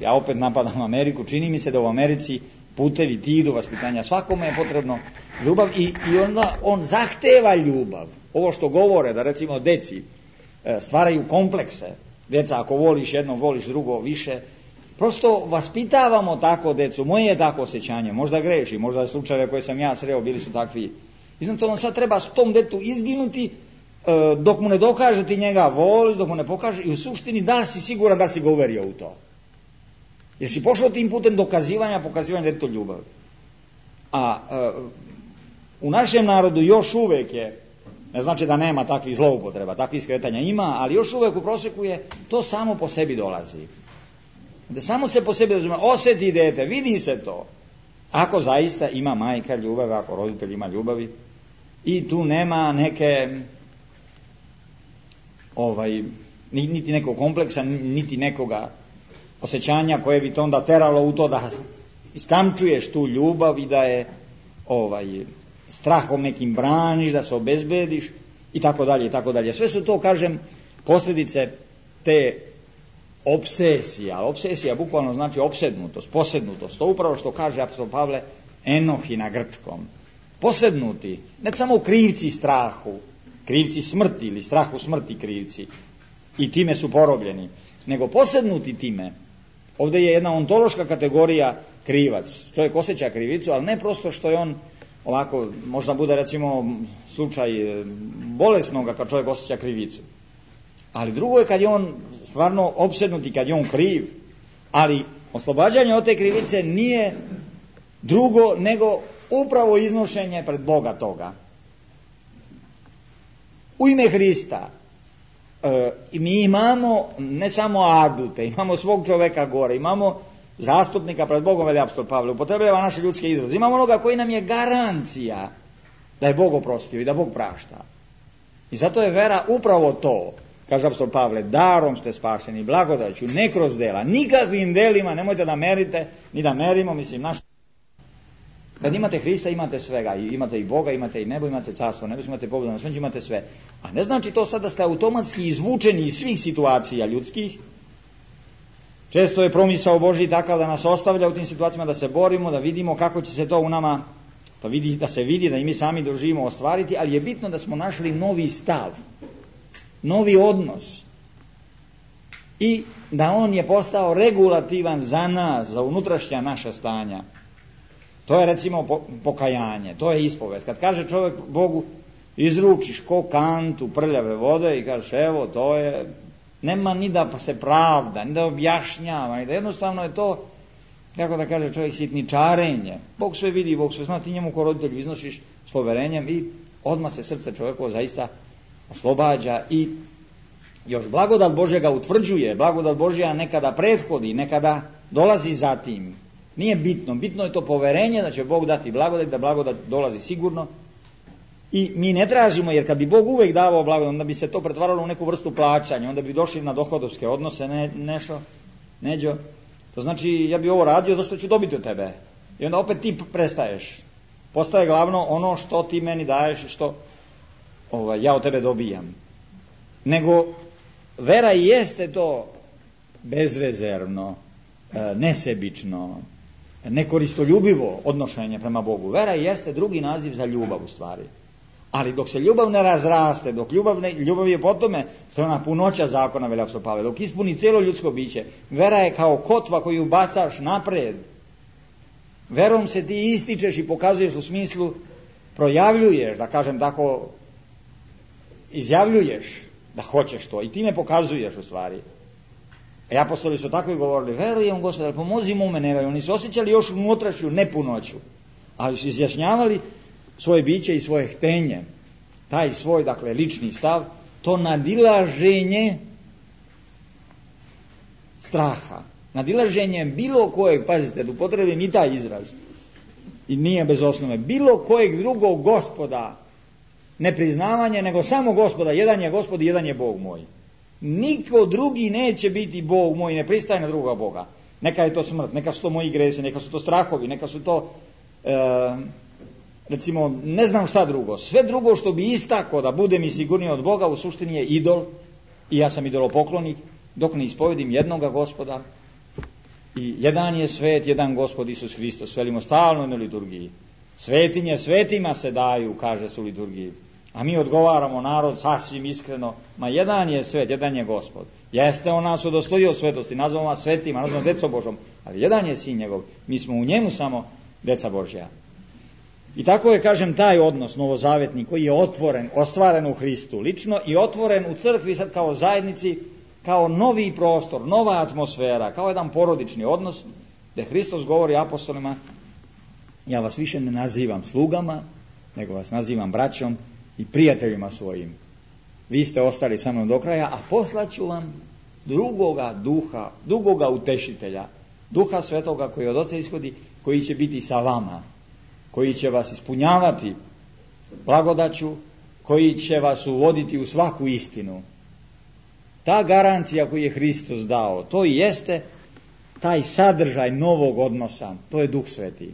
ja opet napadam Ameriku, čini mi se da u Americi putevi ti do vaspitanja, svakome je potrebno ljubav i onda on zahteva ljubav. Ovo što govore, da recimo deci stvaraju komplekse, deca ako voliš jedno, voliš drugo više, prosto vaspitavamo tako decu, moje je tako osjećanje, možda greši, možda slučajeve koje sam ja sreo bili su takvi. I znači on sad treba s tom detu izginuti dok mu ne dokaže ti njega voliš, dok mu ne pokaže i u suštini da li si siguran da si ga uverio u to. Jer si pošao tim putem dokazivanja, pokazivanja detetu ljubav. A u našem narodu još uvijek je, ne znači da nema takvih zloupotreba, takvih skretanja ima, ali još uvijek u prosjeku je to samo po sebi dolazi. Da samo se po sebi osjeti dete, vidi se to. Ako zaista ima majka ljubav, ako roditelj ima ljubavi i tu nema neke niti nekog kompleksa, niti nekoga osjećanja koje bi to onda teralo u to da iskamčuješ tu ljubav i da je strahom nekim braniš, da se obezbediš i tako dalje i tako dalje. Sve su to, kažem, posljedice te opsesije. Opsesija bukvalno znači opsednutost, posednutost. To upravo što kaže apostol Pavle enohi na grčkom. Posednuti, ne samo u krivci strahu, krivci smrti ili strahu smrti krivci i time su porobljeni, nego posednuti time. Ovdje je jedna ontološka kategorija krivac. Čovjek osjeća krivicu, ali ne prosto što je on ovako, možda bude recimo slučaj bolesnoga kad čovjek osjeća krivicu. Ali drugo je kad je on stvarno opsednut i kad je on kriv, ali oslobađanje od te krivice nije drugo nego upravo iznošenje pred Boga toga. U ime Hrista mi imamo ne samo adute, imamo svog čovjeka gore, imamo zastupnika pred Bogom, veli apostol Pavle, upotrebljava naše ljudske izraze. Imamo onoga koji nam je garancija da je Bog oprostio i da Bog prašta. I zato je vera upravo to, kaže apostol Pavle, darom ste spašeni, blagodaću, ne kroz dela, nikakvim delima, nemojte da merite, ni da merimo, mislim, naš. Kad imate Hrista, imate svega, imate i Boga, imate i nebo, imate carstvo, nebo, imate pobedu na smrću, imate sve. A ne znači to sad da ste automatski izvučeni iz svih situacija ljudskih. Često je promisao Božji takav da nas ostavlja u tim situacijama, da se borimo, da vidimo kako će se to u nama, da se vidi, da i mi sami doživimo ostvariti, ali je bitno da smo našli novi stav, novi odnos i da on je postao regulativan za nas, za unutrašnja naša stanja. To je recimo pokajanje, to je ispovest. Kad kaže čovjek Bogu, izručiš ko kantu prljave vode i kažeš evo to je, nema ni da pa se pravda, ni da objašnjava, ni da jednostavno je to, kako da kaže čovjek, sitničarenje. Bog sve vidi, Bog sve zna, ti njemu ko roditelju iznosiš s poverenjem i odmah se srce čovjekovo zaista oslobađa i Još blagodat Božja ga utvrđuje, blagodat Božja nekada prethodi, nekada dolazi zatim. Nije bitno, bitno je to poverenje da će Bog dati blagodat, da blagodat dolazi sigurno. I mi ne tražimo, jer kad bi Bog uvijek davao blagodat, onda bi se to pretvaralo u neku vrstu plaćanja, onda bi došli na dohodovske odnose, nešto, neđo. To znači, ja bi ovo radio zato što ću dobiti od tebe. I onda opet ti prestaješ. Postaje glavno ono što ti meni daješ i što ja od tebe dobijam. Nego, vera i jeste to bezrezervno, nesebično, nekoristoljubivo odnošenje prema Bogu. Vera i jeste drugi naziv za ljubav u stvari. Ali dok se ljubav ne razraste, dok ljubav je po tome što je ona punoća zakona, veli apostol Pavle, dok ispuni cijelo ljudsko biće, vera je kao kotva koju bacaš napred. Verom se ti ističeš i pokazuješ u smislu, projavljuješ, da kažem tako, izjavljuješ da hoćeš to i time pokazuješ u stvari. E apostoli su tako i govorili, verujem Gospodar, pomozimo u mene, oni su osjećali još unutrašnju nepunoću, ali su izjašnjavali svoje biće i svoje htenje, taj svoj, dakle, lični stav, to nadilaženje straha, nadilaženje bilo kojeg, pazite, da upotrebim i taj izraz, i nije bez osnove, bilo kojeg drugog gospoda, nepriznavanje, nego samo Gospoda, jedan je Gospod i jedan je Bog moj. Niko drugi neće biti Bog moj, ne pristaje na druga Boga. Neka je to smrt, neka su to moji gresi, neka su to strahovi, neka su to recimo ne znam šta drugo. Sve drugo što bi istakao da bude mi sigurniji od Boga u suštini je idol i ja sam idolopoklonik dok ne ispovedim jednoga Gospoda i jedan je svet, jedan Gospod Isus Hristos. Velimo stalno na liturgiji. Svetinje svetima se daju, kaže se u liturgiji. A mi odgovaramo, narod, sasvim iskreno, ma jedan je svet, jedan je Gospod. Jeste on nas udostojio svetosti, nazvamo vas svetima, nazvamo decom Božom, ali jedan je sin njegov, mi smo u njemu samo deca Božja. I tako je, kažem, taj odnos novozavetni koji je otvoren, ostvaren u Hristu lično i otvoren u crkvi sad kao zajednici, kao novi prostor, nova atmosfera, kao jedan porodični odnos, gdje Hristos govori apostolima, ja vas više ne nazivam slugama, nego vas nazivam braćom i prijateljima svojim. Vi ste ostali sa mnom do kraja, a poslaću vam drugoga duha, drugoga utešitelja, duha svetoga koji od Oca ishodi, koji će biti sa vama, koji će vas ispunjavati blagodaću, koji će vas uvoditi u svaku istinu. Ta garancija koju je Hristos dao, to i jeste taj sadržaj novog odnosa, to je Duh Sveti.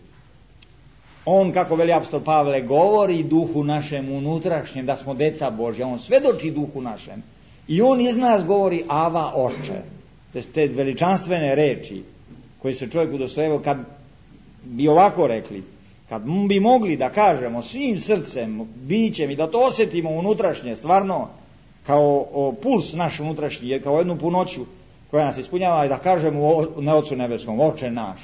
On, kako veli apostol Pavle, govori duhu našem unutrašnjem, da smo deca Božja, on svedoči duhu našem. I on iz nas govori Ava, Oče. Te veličanstvene reči koje se čovjek udostojio, kad bi ovako rekli, kad bi mogli da kažemo svim srcem, bićem i da to osjetimo unutrašnje, stvarno, kao puls naš unutrašnji, kao jednu punoću koja nas ispunjava i da kažemo na Otcu nebeskom, Oče naš.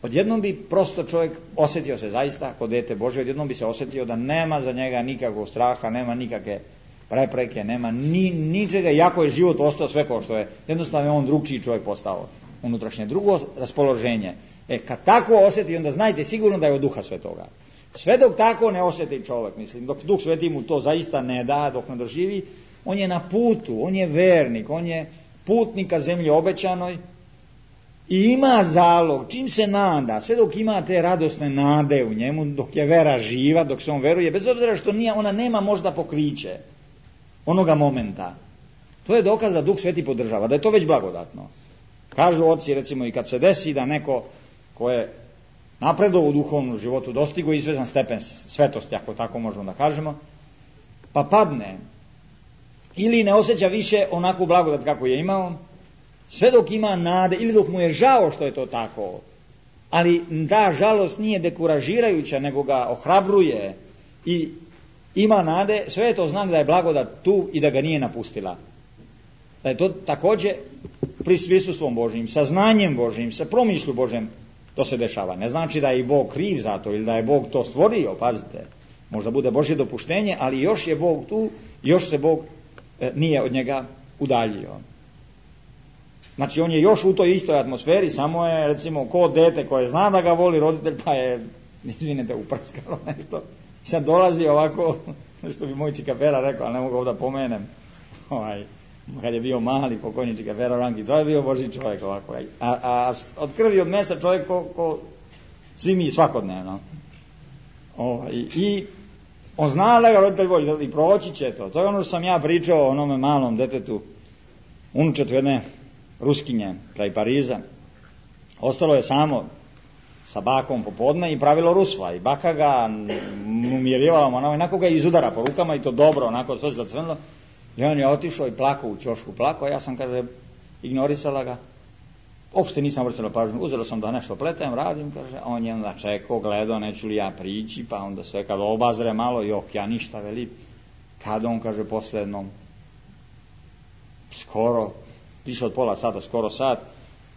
Odjednom bi prosto čovjek osjetio se zaista kod dete Božje, odjednom bi se osjetio da nema za njega nikakvog straha, nema nikakve prepreke, nema ničega, iako je život ostao sve kao što je. Jednostavno je on drugčiji čovjek postao unutrašnje. Drugo raspoloženje. Kad tako osjeti, onda znajte sigurno da je od Duha Svetoga. Sve dok tako ne osjeti čovjek, mislim, dok Duh Sveti mu to zaista ne da, dok ne doživi, on je na putu, on je vernik, on je putnik ka zemlji obećanoj i ima zalog, čim se nada, sve dok ima te radosne nade u njemu, dok je vera živa, dok se on veruje, bez obzira što ona nema možda pokriće onoga momenta. To je dokaz da Duh Sveti podržava, da je to već blagodatno. Kažu oci, recimo, i kad se desi da neko ko je napredovao u duhovnom životu, dostigo izvezan stepen svetosti, ako tako možemo da kažemo, pa padne ili ne osjeća više onakvu blagodat kako je imao, sve dok ima nade ili dok mu je žao što je to tako, ali ta žalost nije dekuražirajuća, nego ga ohrabruje i ima nade, sve je to znak da je blagodat tu i da ga nije napustila. Da je to također pri prisustvom Božjim, sa znanjem Božjim, sa promišlju Božjim to se dešava. Ne znači da je i Bog kriv za to ili da je Bog to stvorio, pazite. Možda bude Božje dopuštenje, ali još je Bog tu, još se Bog nije od njega udaljio. Znači on je još u toj istoj atmosferi, samo je recimo ko dete koje zna da ga voli roditelj, pa je, izvinite, uprskalo nešto. Sad dolazi ovako, što bi moj čikafera rekao, ali ne mogu ovdje pomenem, kad je bio mali pokojnička Pero Ranki, to je bio Božji čovjek ovako. A od krvi od mesa čovjek ko svi mi svakodnevno. I on zna da ga roditelj voli i proći će to. To je ono što sam ja pričao o onome malom detetu, unučetu jedne Ruskinje kraj Pariza. Ostalo je samo sa bakom popodne i pravilo rusva. I baka ga umirivala, onako ga izudara po rukama i to dobro, onako sve zacrnilo. I on je otišao i plakao u ćošku, plakao, a ja sam, kaže, ignorisala ga. Uopšte nisam vrstila pažnju, uzela sam da nešto pletem, radim, kaže, a on je onda čekao, gledao, neću li ja prići, pa onda sve kad obazre malo, ja ništa veli. Kad on, kaže, posle jednom, skoro, više od pola sata, skoro sat,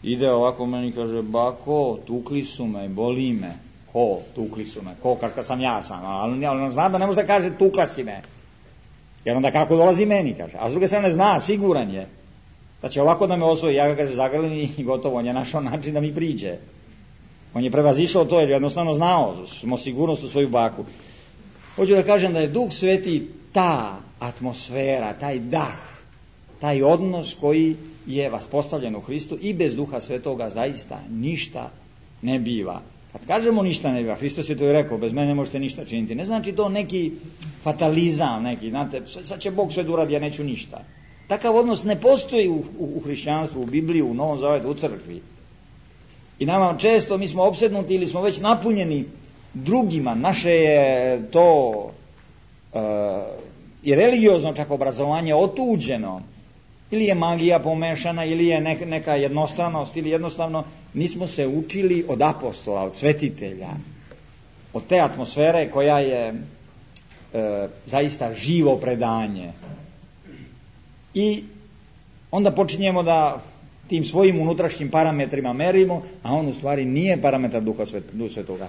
ide ovako meni, kaže, bako, tukli su me, boli me. Ko, tukli su me, ko, kad sam ja sam, ali on zna da ne može da kaže tukla si me. Jer onda kako dolazi meni, kaže. A s druge strane zna, siguran je da će ovako da me osvoji. Ja ga, kaže, zagrlim i gotovo. On je našao način da mi priđe. On je prevazišao to jer jednostavno znao, smo sigurnost u svoju baku. Hoću da kažem da je Duh Sveti ta atmosfera, taj dah, taj odnos koji je vaspostavljen u Hristu i bez Duha Svetoga zaista ništa ne biva. Kad kažemo ništa ne biva, Hristos je to i rekao, bez mene ne možete ništa činiti. Ne znači to neki fatalizam, neki, znate, sad će Bog sve da uradi, ja neću ništa. Takav odnos ne postoji u hrišćanstvu, u Bibliji, u Novom Zavetu, u crkvi. I nama često, mi smo opsednuti ili smo već napunjeni drugima, naše je to i religiozno čak obrazovanje otuđeno, ili je magija pomešana, ili je neka jednostranost, ili jednostavno nismo se učili od apostola, od svetitelja, od te atmosfere koja je zaista živo predanje. I onda počinjemo da tim svojim unutrašnjim parametrima merimo, a on u stvari nije parametar Duha Svetoga.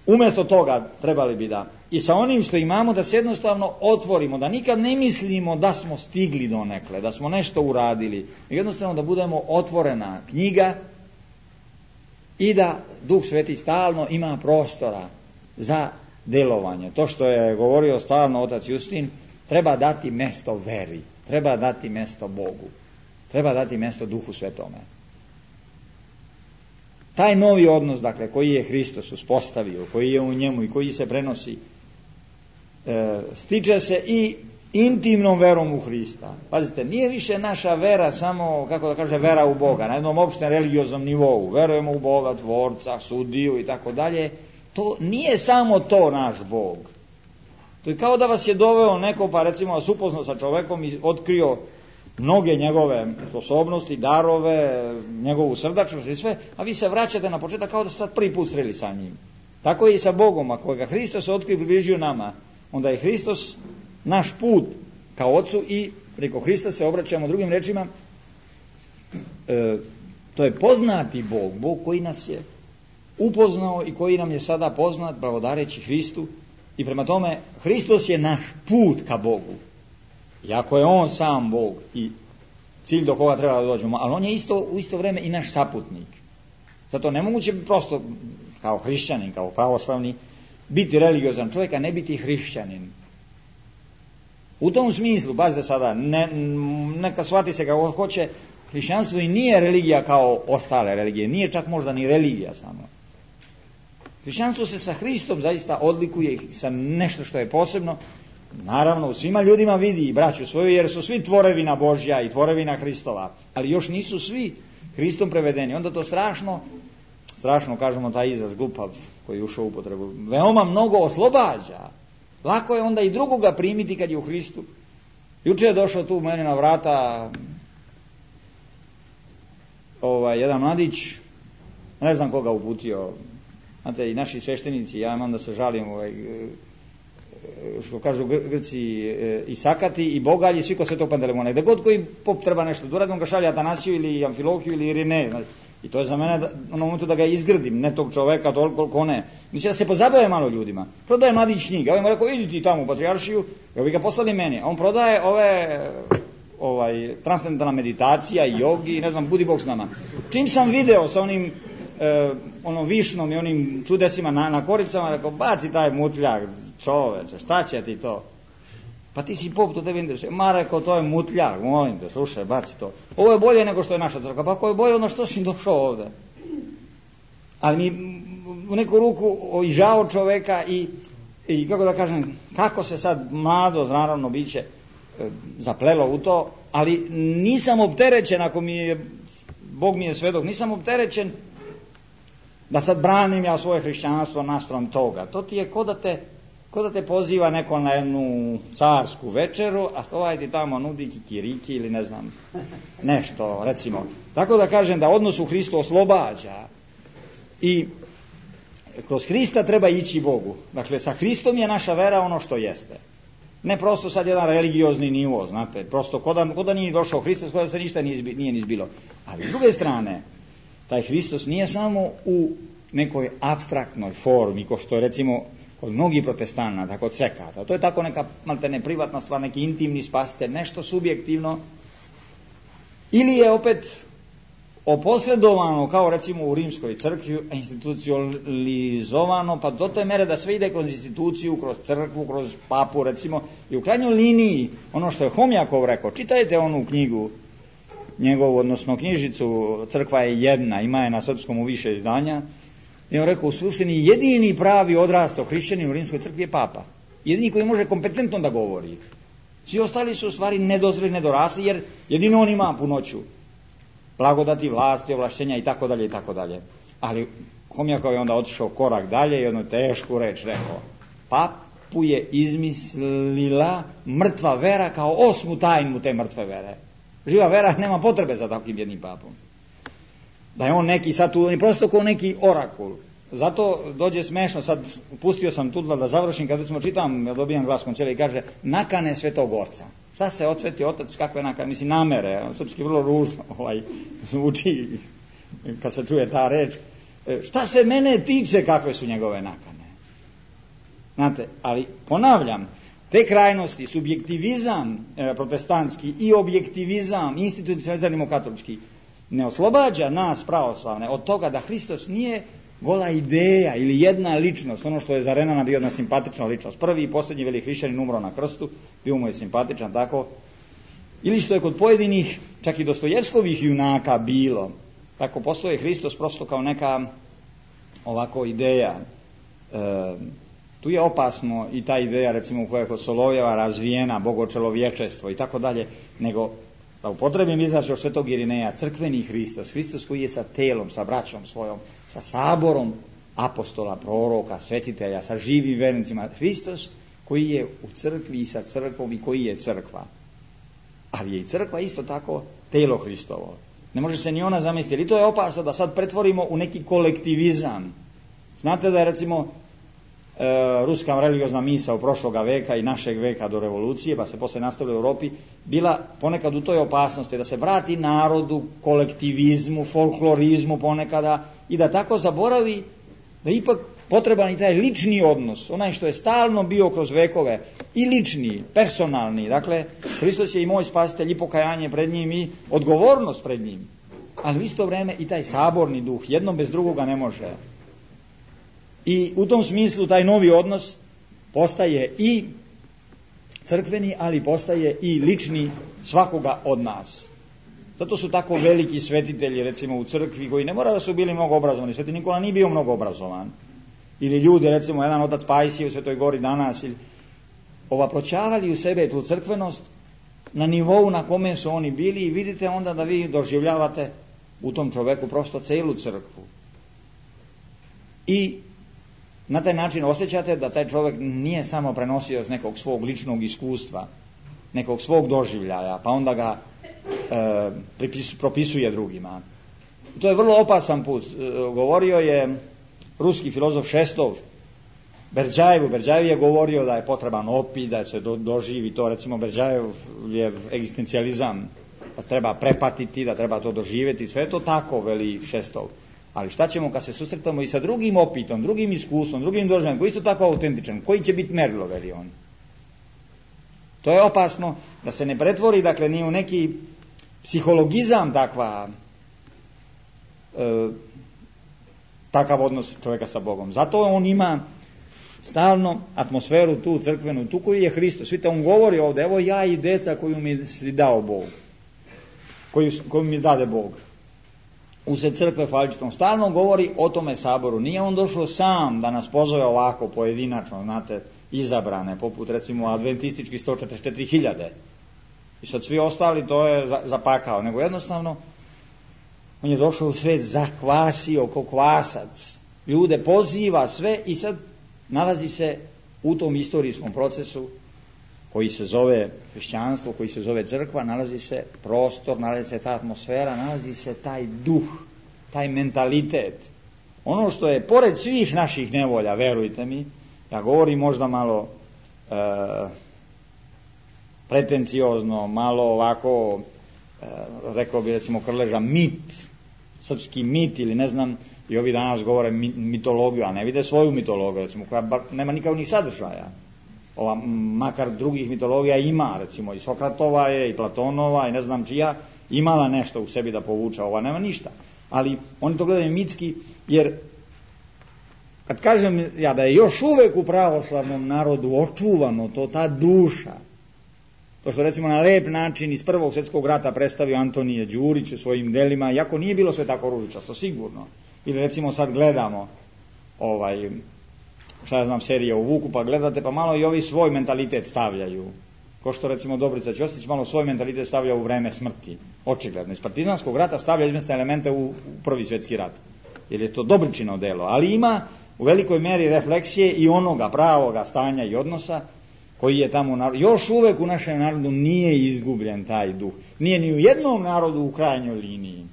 Umjesto toga trebali bi da i sa onim što imamo da se jednostavno otvorimo, da nikad ne mislimo da smo stigli donekle, da smo nešto uradili, jednostavno da budemo otvorena knjiga i da Duh Sveti stalno ima prostora za delovanje. To što je govorio stalno otac Justin, treba dati mesto veri, treba dati mesto Bogu, treba dati mesto Duhu Svetome. Taj novi odnos, dakle, koji je Hristos uspostavio, koji je u njemu i koji se prenosi, stiče se i intimnom verom u Hrista. Pazite, nije više naša vera samo, kako da kaže, vera u Boga, na jednom opštem religioznom nivou. Verujemo u Boga, Tvorca, Sudiju i tako dalje. To nije samo to naš Bog. To je kao da vas je doveo neko, pa recimo vas upoznao sa čovekom i otkrio mnoge njegove sposobnosti, darove, njegovu srdačnost i sve, a vi se vraćate na početak kao da ste sad prvi put sreli sa njim. Tako je i sa Bogom, ako ga Hristos otkrio i približio nama, onda je Hristos naš put kao Otcu i preko Hrista se obraćamo drugim rečima. To je poznati Bog, Bog koji nas je upoznao i koji nam je sada poznat blagodareći Hristu i prema tome Hristos je naš put ka Bogu. Iako je on sam Bog i cilj do koga treba da dođemo, ali on je u isto vrijeme i naš saputnik. Zato nemoguće prosto kao hrišćanin, kao pravoslavni, biti religiozan čovjek, a ne biti hrišćanin. U tom smislu, pazite sada, neka shvati se kako hoće, hrišćanstvo i nije religija kao ostale religije, nije čak možda ni religija samo. Hrišćanstvo se sa Hristom zaista odlikuje sa nešto što je posebno. Naravno, u svima ljudima vidi i braću svoju, jer su svi tvorevina Božja i tvorevina Hristova, ali još nisu svi Hristom prevedeni. Onda to strašno kažemo taj izraz glupav koji je ušao u upotrebu, veoma mnogo oslobađa. Lako je onda i drugoga primiti kad je u Hristu. Juče je došao tu meni na vrata jedan mladić, ne znam koga uputio, znate, i naši sveštenici, ja imam da se žalim, što kažu Grci, i sakati i bogalji, svi ko Svetog Pantelemona. Gde god koji pop treba nešto da uradi, on ga šalje Atanasiju ili Amfilohiju ili Irine. I to je za mene na momentu da ga izgrdim, ne tog čoveka, toliko ne. Mislim da se pozabave malo ljudima. Prodaje mladić knjige. Ja mu rekao, idi ti tamo u patrijaršiju, ja bi ga poslali meni. A on prodaje transcendentalna meditacija i jogi i ne znam, budi Bog s nama. Čim sam video sa onom višnom i onim čudesima na koricama, rekao, baci taj mutljak, čoveče, šta će ti to? Pa ti si pop, to tebe interesuje. Ma rekao, to je mutljak, molim te, slušaj, baci to. Ovo je bolje nego što je naša crkva. Pa ako je bolje, onda što si došao ovdje? Ali mi u neku ruku i žao čoveka i kako da kažem, kako se sad mlado, naravno, biće zaplelo u to, ali nisam opterećen, ako Bog mi je svedok, nisam opterećen da sad branim ja svoje hrišćanstvo naspram toga. To ti je ko da te poziva neko na jednu carsku večeru, a ovaj ti tamo nudi kikiriki ili ne znam, nešto, recimo. Tako da kažem da odnos u Hristu oslobađa i kroz Hrista treba ići Bogu. Dakle, sa Hristom je naša vera ono što jeste. Ne prosto sad jedan religiozni nivo, znate, prosto ko da nije došao Hristos, ko da se ništa nije ni zbilo. Ali s druge strane, taj Hristos nije samo u nekoj apstraktnoj formi, ko što je recimo kod mnogih protestanata, kod sekata. To je tako neka maltene privatna stvar, neki intimni spasitelj, nešto subjektivno. Ili je opet oposredovano, kao recimo u rimskoj crkvi, institucionalizovano, pa do te mere da sve ide kroz instituciju, kroz crkvu, kroz papu, recimo, i u krajnjoj liniji, ono što je Homjakov rekao, čitajte onu knjigu njegovu, odnosno knjižicu Crkva je jedna, ima je na srpskom u više izdanja, i on rekao, u suštini jedini pravi odrastao hrišćanin u rimskoj crkvi je papa. Jedini koji može kompetentno da govori. Svi ostali su u stvari nedozreli, nedorasli, jer jedino on ima punoću blagodati, vlasti, ovlašćenja i tako dalje i tako dalje. Ali Homjakov je onda otišao korak dalje i jednu tešku reč rekao: papu je izmislila mrtva vera kao osmu tajnu te mrtve vere. Živa vera nema potrebe za takvim jednim papom. Da je on neki sad tu, on je prosto kao neki orakul. Zato dođe smešno, sad pustio sam tu da završim, kad smo čitam, ja dobijam glas koncilija i kaže nakane Svetog Oca. Šta se odsveti otac, kakve nakane, mislim namere, srpski vrlo ružno zvuči kad se čuje ta reč. Šta se mene tiče kakve su njegove nakane? Znate, ali ponavljam, te krajnosti, subjektivizam protestantski i objektivizam institucionalizam katolički ne oslobađa nas pravoslavne od toga da Hristos nije gola ideja ili jedna ličnost, ono što je za Renana bio jedna simpatična ličnost. Prvi i posljednji veliki hrišćanin umro na krstu, bio mu je simpatičan, tako. Ili što je kod pojedinih, čak i Dostojevskovih junaka bilo, tako postoji Hristos prosto kao neka ovako ideja. Tu je opasno i ta ideja, recimo, koja je kod Solovjeva razvijena, bogočelovječestvo i tako dalje, nego da upotrebim izraz od Svetog Irineja, crkveni Hristos, Hristos koji je sa telom, sa braćom svojom, sa saborom apostola, proroka, svetitelja, sa živim vernicima, Hristos koji je u crkvi i sa crkvom i koji je crkva. Ali je i crkva isto tako telo Hristovo. Ne može se ni ona zamisliti. I to je opasno da sad pretvorimo u neki kolektivizam. Znate da je recimo ruska religiozna misao prošloga veka i našeg veka do revolucije, pa se posle nastavila u Europi, bila ponekad u toj opasnosti da se vrati narodu, kolektivizmu, folklorizmu ponekada i da tako zaboravi da ipak potreban i taj lični odnos, onaj što je stalno bio kroz vekove, i lični, personalni. Dakle, Hristos je i moj spasitelj, i pokajanje pred njim i odgovornost pred njim. Ali u isto vrijeme i taj saborni duh, jedno bez drugoga ne može. I u tom smislu taj novi odnos postaje i crkveni, ali postaje i lični svakoga od nas. Zato su tako veliki svetitelji, recimo u crkvi, koji ne mora da su bili mnogo obrazovani. Sveti Nikola nije bio mnogo obrazovan. Ili ljudi, recimo jedan otac Pajsije u Svetoj Gori danas, ili proćavali u sebe tu crkvenost na nivou na kome su oni bili i vidite onda da vi doživljavate u tom čoveku prosto celu crkvu. I na taj način osjećate da taj čovjek nije samo prenosio iz nekog svog ličnog iskustva, nekog svog doživljaja, pa onda ga propisuje drugima. To je vrlo opasan put. Govorio je ruski filozof Šestov Berdjajevu. Berdjajev je govorio da je potreban opit, da se doživi to, recimo Berdjajev je egzistencijalizam, da treba prepatiti, da treba to doživjeti, sve je to tako, veli Šestov. Ali šta ćemo kad se susretamo i sa drugim opitom, drugim iskustvom, drugim doživljajem, koji isto tako autentičan, koji će biti merilo, veli on. To je opasno da se ne pretvori, dakle, ni u neki psihologizam takav odnos čovjeka sa Bogom. Zato on ima stalno atmosferu tu crkvenu, tu koju je Hristos. Vidite, on govori ovdje, evo ja i deca koju mi si dao Bog, koju mi dade Bog. Usred crkve hvaličtom stalno govori o tome saboru. Nije on došao sam da nas pozove ovako pojedinačno, znate, izabrane, poput recimo adventistički 144.000. I sad svi ostali to je zapakao, nego jednostavno on je došao u svijet, zakvasio ko kvasac, ljude poziva sve i sad nalazi se u tom istorijskom procesu koji se zove hrišćanstvo, koji se zove crkva, nalazi se prostor, nalazi se ta atmosfera, nalazi se taj duh, taj mentalitet. Ono što je pored svih naših nevolja, verujte mi, ja govorim možda malo pretenciozno, malo ovako, rekao bi recimo Krleža, mit, srpski mit ili ne znam, i ovi danas govore mitologiju, a ne vide svoju mitologiju, recimo, koja nema nikakvih sadržaja. Ova, makar drugih mitologija ima, recimo i Sokratova je, i Platonova, i ne znam čija, imala nešto u sebi da povuče, ova nema ništa. Ali oni to gledaju mitski, jer kad kažem ja da je još uvek u pravoslavnom narodu očuvano to, ta duša, to što recimo na lep način iz Prvog svjetskog rata predstavio Antonije Đurić u svojim delima, iako nije bilo sve tako ružičasto, sigurno. Ili recimo sad gledamo šta ja znam, serije o Vuku, pa gledate, pa malo i ovi svoj mentalitet stavljaju. Ko što recimo Dobrica Ćosić malo svoj mentalitet stavlja u vreme smrti. Očigledno. Iz partizanskog rata stavlja izmjestne elemente u Prvi svjetski rat. Jer je to Dobričino delo. Ali ima u velikoj meri refleksije i onoga pravoga stanja i odnosa koji je tamo u narodu. Još uvek u našem narodu nije izgubljen taj duh. Nije ni u jednom narodu u krajnjoj liniji.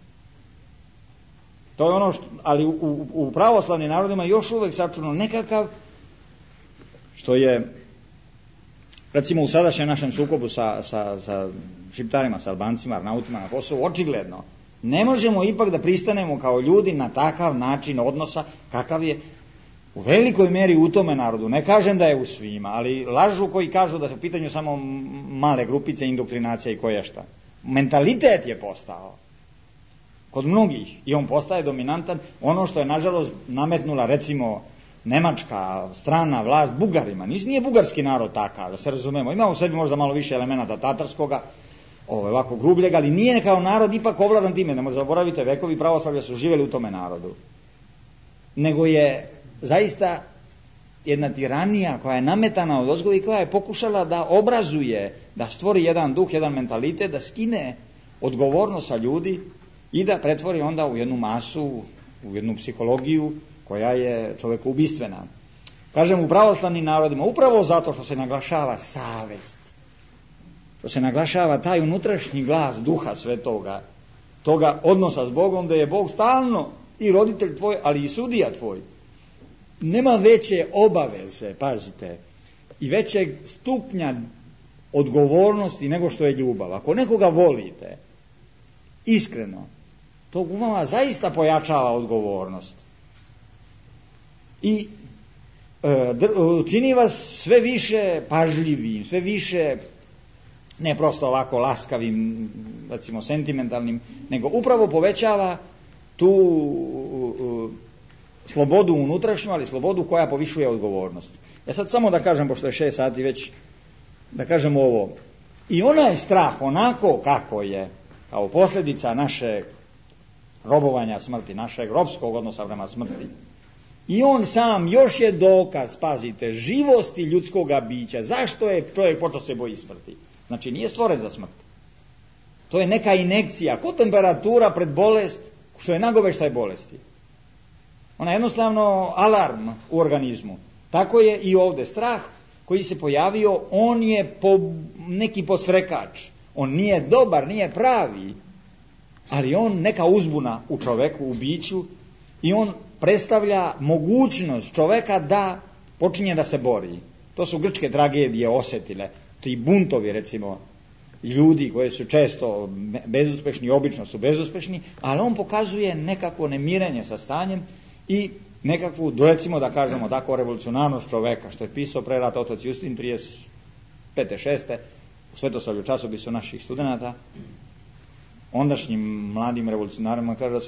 To je ono što, ali u pravoslavnim narodima još uvek sačuvano nekakav, što je recimo u sadašnjem našem sukobu sa Šiptarima, sa Albancima, Arnautima na Kosovu, očigledno ne možemo ipak da pristanemo kao ljudi na takav način odnosa kakav je u velikoj meri u tome narodu. Ne kažem da je u svima, ali lažu koji kažu da su u pitanju samo male grupice, indoktrinacija i koješta. Mentalitet je postao kod mnogih i on postaje dominantan. Ono što je nažalost nametnula recimo nemačka strana vlast Bugarima. Nije bugarski narod takav, da se razumemo. Ima u sebi možda malo više elemenata tatarskoga, ovako grubljega, ali nije kao narod ipak ovladan time. Ne možete zaboravite, vekovi pravoslavlja su živjeli u tome narodu. Nego je zaista jedna tiranija koja je nametana od ozgo i koja je pokušala da obrazuje, da stvori jedan duh, jedan mentalitet, da skine odgovornost sa ljudi i da pretvori onda u jednu masu, u jednu psihologiju koja je čovjeku ubistvena. Kažem, u pravoslavnim narodima, upravo zato što se naglašava savest, što se naglašava taj unutrašnji glas Duha Svetoga, toga odnosa s Bogom, da je Bog stalno i roditelj tvoj, ali i sudija tvoj. Nema veće obaveze, pazite, i većeg stupnja odgovornosti nego što je ljubav. Ako nekoga volite, iskreno, to u vama zaista pojačava odgovornost. I čini vas sve više pažljivim, sve više ne prosto ovako laskavim, recimo sentimentalnim, nego upravo povećava tu slobodu unutrašnju, ali slobodu koja povišuje odgovornost. Ja sad samo da kažem, pošto je 6 sati već, da kažem ovo. I onaj strah, onako kako je, kao posljedica naše robovanja smrti, našeg robskog odnosa prema smrti, i on sam još je dokaz, pazite, živosti ljudskoga bića. Zašto je čovjek počeo se boji smrti? Znači nije stvoren za smrt. To je neka injekcija, ko temperatura pred bolest, što je nagoveštaj bolesti. Ona je jednostavno alarm u organizmu. Tako je i ovdje strah koji se pojavio, on je neki posrekač. On nije dobar, nije pravi, ali on neka uzbuna u čoveku, u biću, i on predstavlja mogućnost čoveka da počinje da se bori. To su grčke tragedije osjetile, ti buntovi recimo ljudi koji su često bezuspešni, obično su bezuspešni, ali on pokazuje nekako nemirenje sa stanjem i nekakvu, recimo da kažemo tako, revolucionarnost čoveka, što je pisao pre rata otac Justin 35. 6. u Svetosavlju časopisu naših studenata, ondašnjim mladim revolucionarima kaže,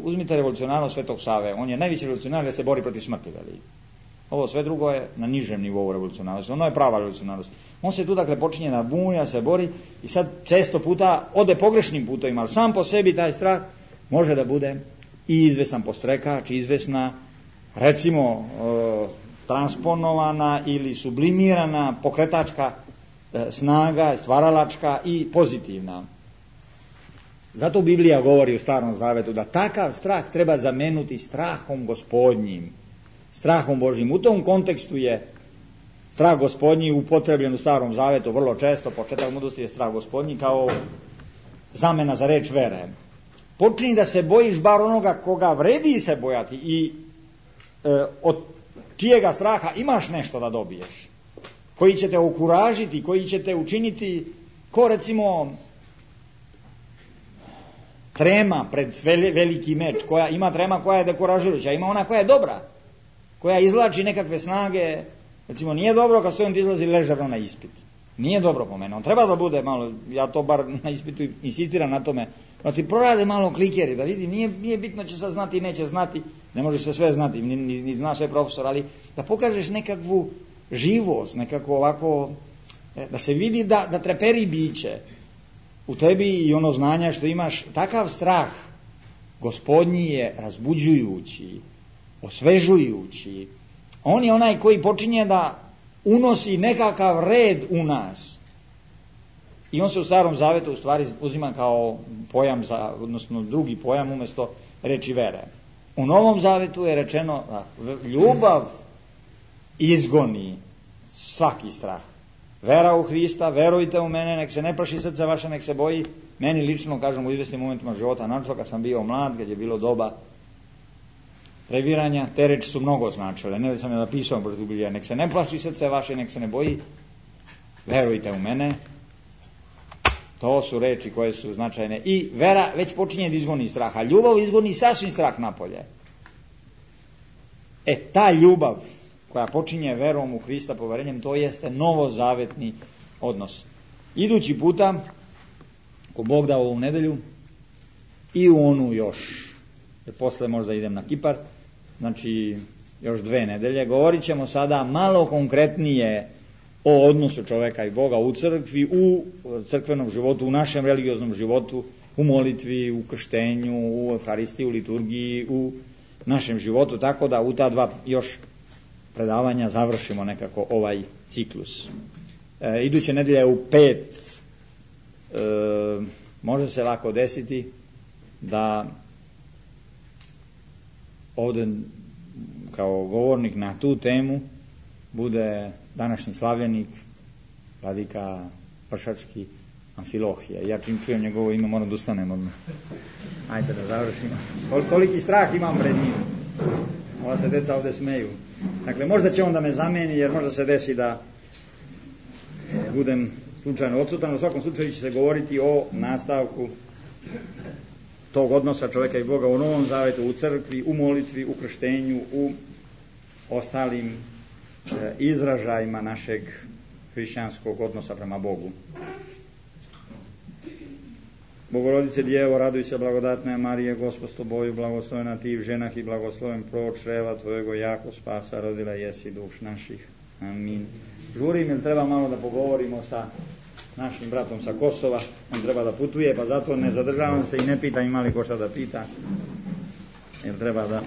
uzmite revolucionarnost Svetog Save, on je najveći revolucionar jer se bori protiv smrti, veli. Ovo sve drugo je na nižem nivou revolucionarnosti. Ono je prava revolucionarnost. On se tu dakle počinje da bunja, se bori i sad često puta ode pogrešnim putovima, ali sam po sebi taj strah može da bude i izvesan podstrekač, izvesna, recimo transponovana ili sublimirana pokretačka snaga, stvaralačka i pozitivna. Zato Biblija govori u Starom Zavetu da takav strah treba zameniti strahom Gospodnjim, strahom Božjim. U tom kontekstu je strah Gospodnji upotrebljen u Starom Zavetu vrlo često. Početak mudrosti je strah Gospodnji kao zamena za reč vere. Počini da se bojiš bar onoga koga vredi se bojati i od čijega straha imaš nešto da dobiješ, koji će te okuražiti, koji će te učiniti ko recimo trema pred veliki meč, koja ima trema koja je dekoražirajuća, ima ona koja je dobra, koja izvlači nekakve snage. Recimo nije dobro kad student izlazi ležerno na ispit, nije dobro po mene, on treba da bude malo, ja to bar na ispitu insistiram na tome, da ti prorade malo klikeri, da vidi, nije bitno će sad znati, neće znati, ne može se sve znati, ni zna sve profesor, ali da pokažeš nekakvu živost, nekako ovako, da se vidi da treperi biće u tebi i ono znanja što imaš. Takav strah Gospodnji je razbuđujući, osvežujući. On je onaj koji počinje da unosi nekakav red u nas. I on se u Starom Zavetu u stvari uzima kao pojam, odnosno drugi pojam umjesto reči vere. U Novom Zavetu je rečeno da ljubav izgoni svaki strah. Vera u Hrista, verujte u mene, nek se ne plaši srce vaše, nek se boji. Meni lično, kažem, u izvesnim momentima života, naročito kad sam bio mlad, kad je bilo doba previranja, te reči su mnogo značile. Ne da sam je napisao protiv Biblije, nek se ne plaši srce vaše, nek se ne boji, verujte u mene. To su reči koje su značajne. I vera već počinje da izgoni strah, a ljubav izgoni sasvim strah napolje. Ta ljubav koja počinje verom u Hrista, poverenjem, to jeste novozavetni odnos. Idući puta, ako Bog da ovu nedelju, i u onu još, jer posle možda idem na Kipar, znači još 2 nedelje, govorit ćemo sada malo konkretnije o odnosu čoveka i Boga u crkvi, u crkvenom životu, u našem religioznom životu, u molitvi, u krštenju, u Euharistiji, u liturgiji, u našem životu, tako da u ta 2 još predavanja završimo nekako ovaj ciklus. Iduće nedelje u 5 može se lako desiti da ovdje kao govornik na tu temu bude današnji slavljenik, vladika Pršački Amfilohije. Ja čim čujem njegovo ime moram da ustanem odmah. Ajde da završimo. Toliki strah imam pred njim. Ova se deca ovdje smeju. Dakle, možda će on da me zameni, jer možda se desi da budem slučajno odsutan. U svakom slučaju će se govoriti o nastavku tog odnosa čovjeka i Boga u Novom Zavetu, u crkvi, u molitvi, u krštenju, u ostalim izražajima našeg hrišćanskog odnosa prema Bogu. Bogorodice Djevo, raduj se, blagodatna Marije, Gospod s tobою, blagoslovena ti v ženah i blagosloven plod čreva tvojego, jako spasa rodila jesi duš naših. Amin. Žurim, jer treba malo da pogovorimo sa našim bratom sa Kosova, on treba da putuje, pa zato ne zadržavam se i ne pitam ima li ko šta da pita, jer treba da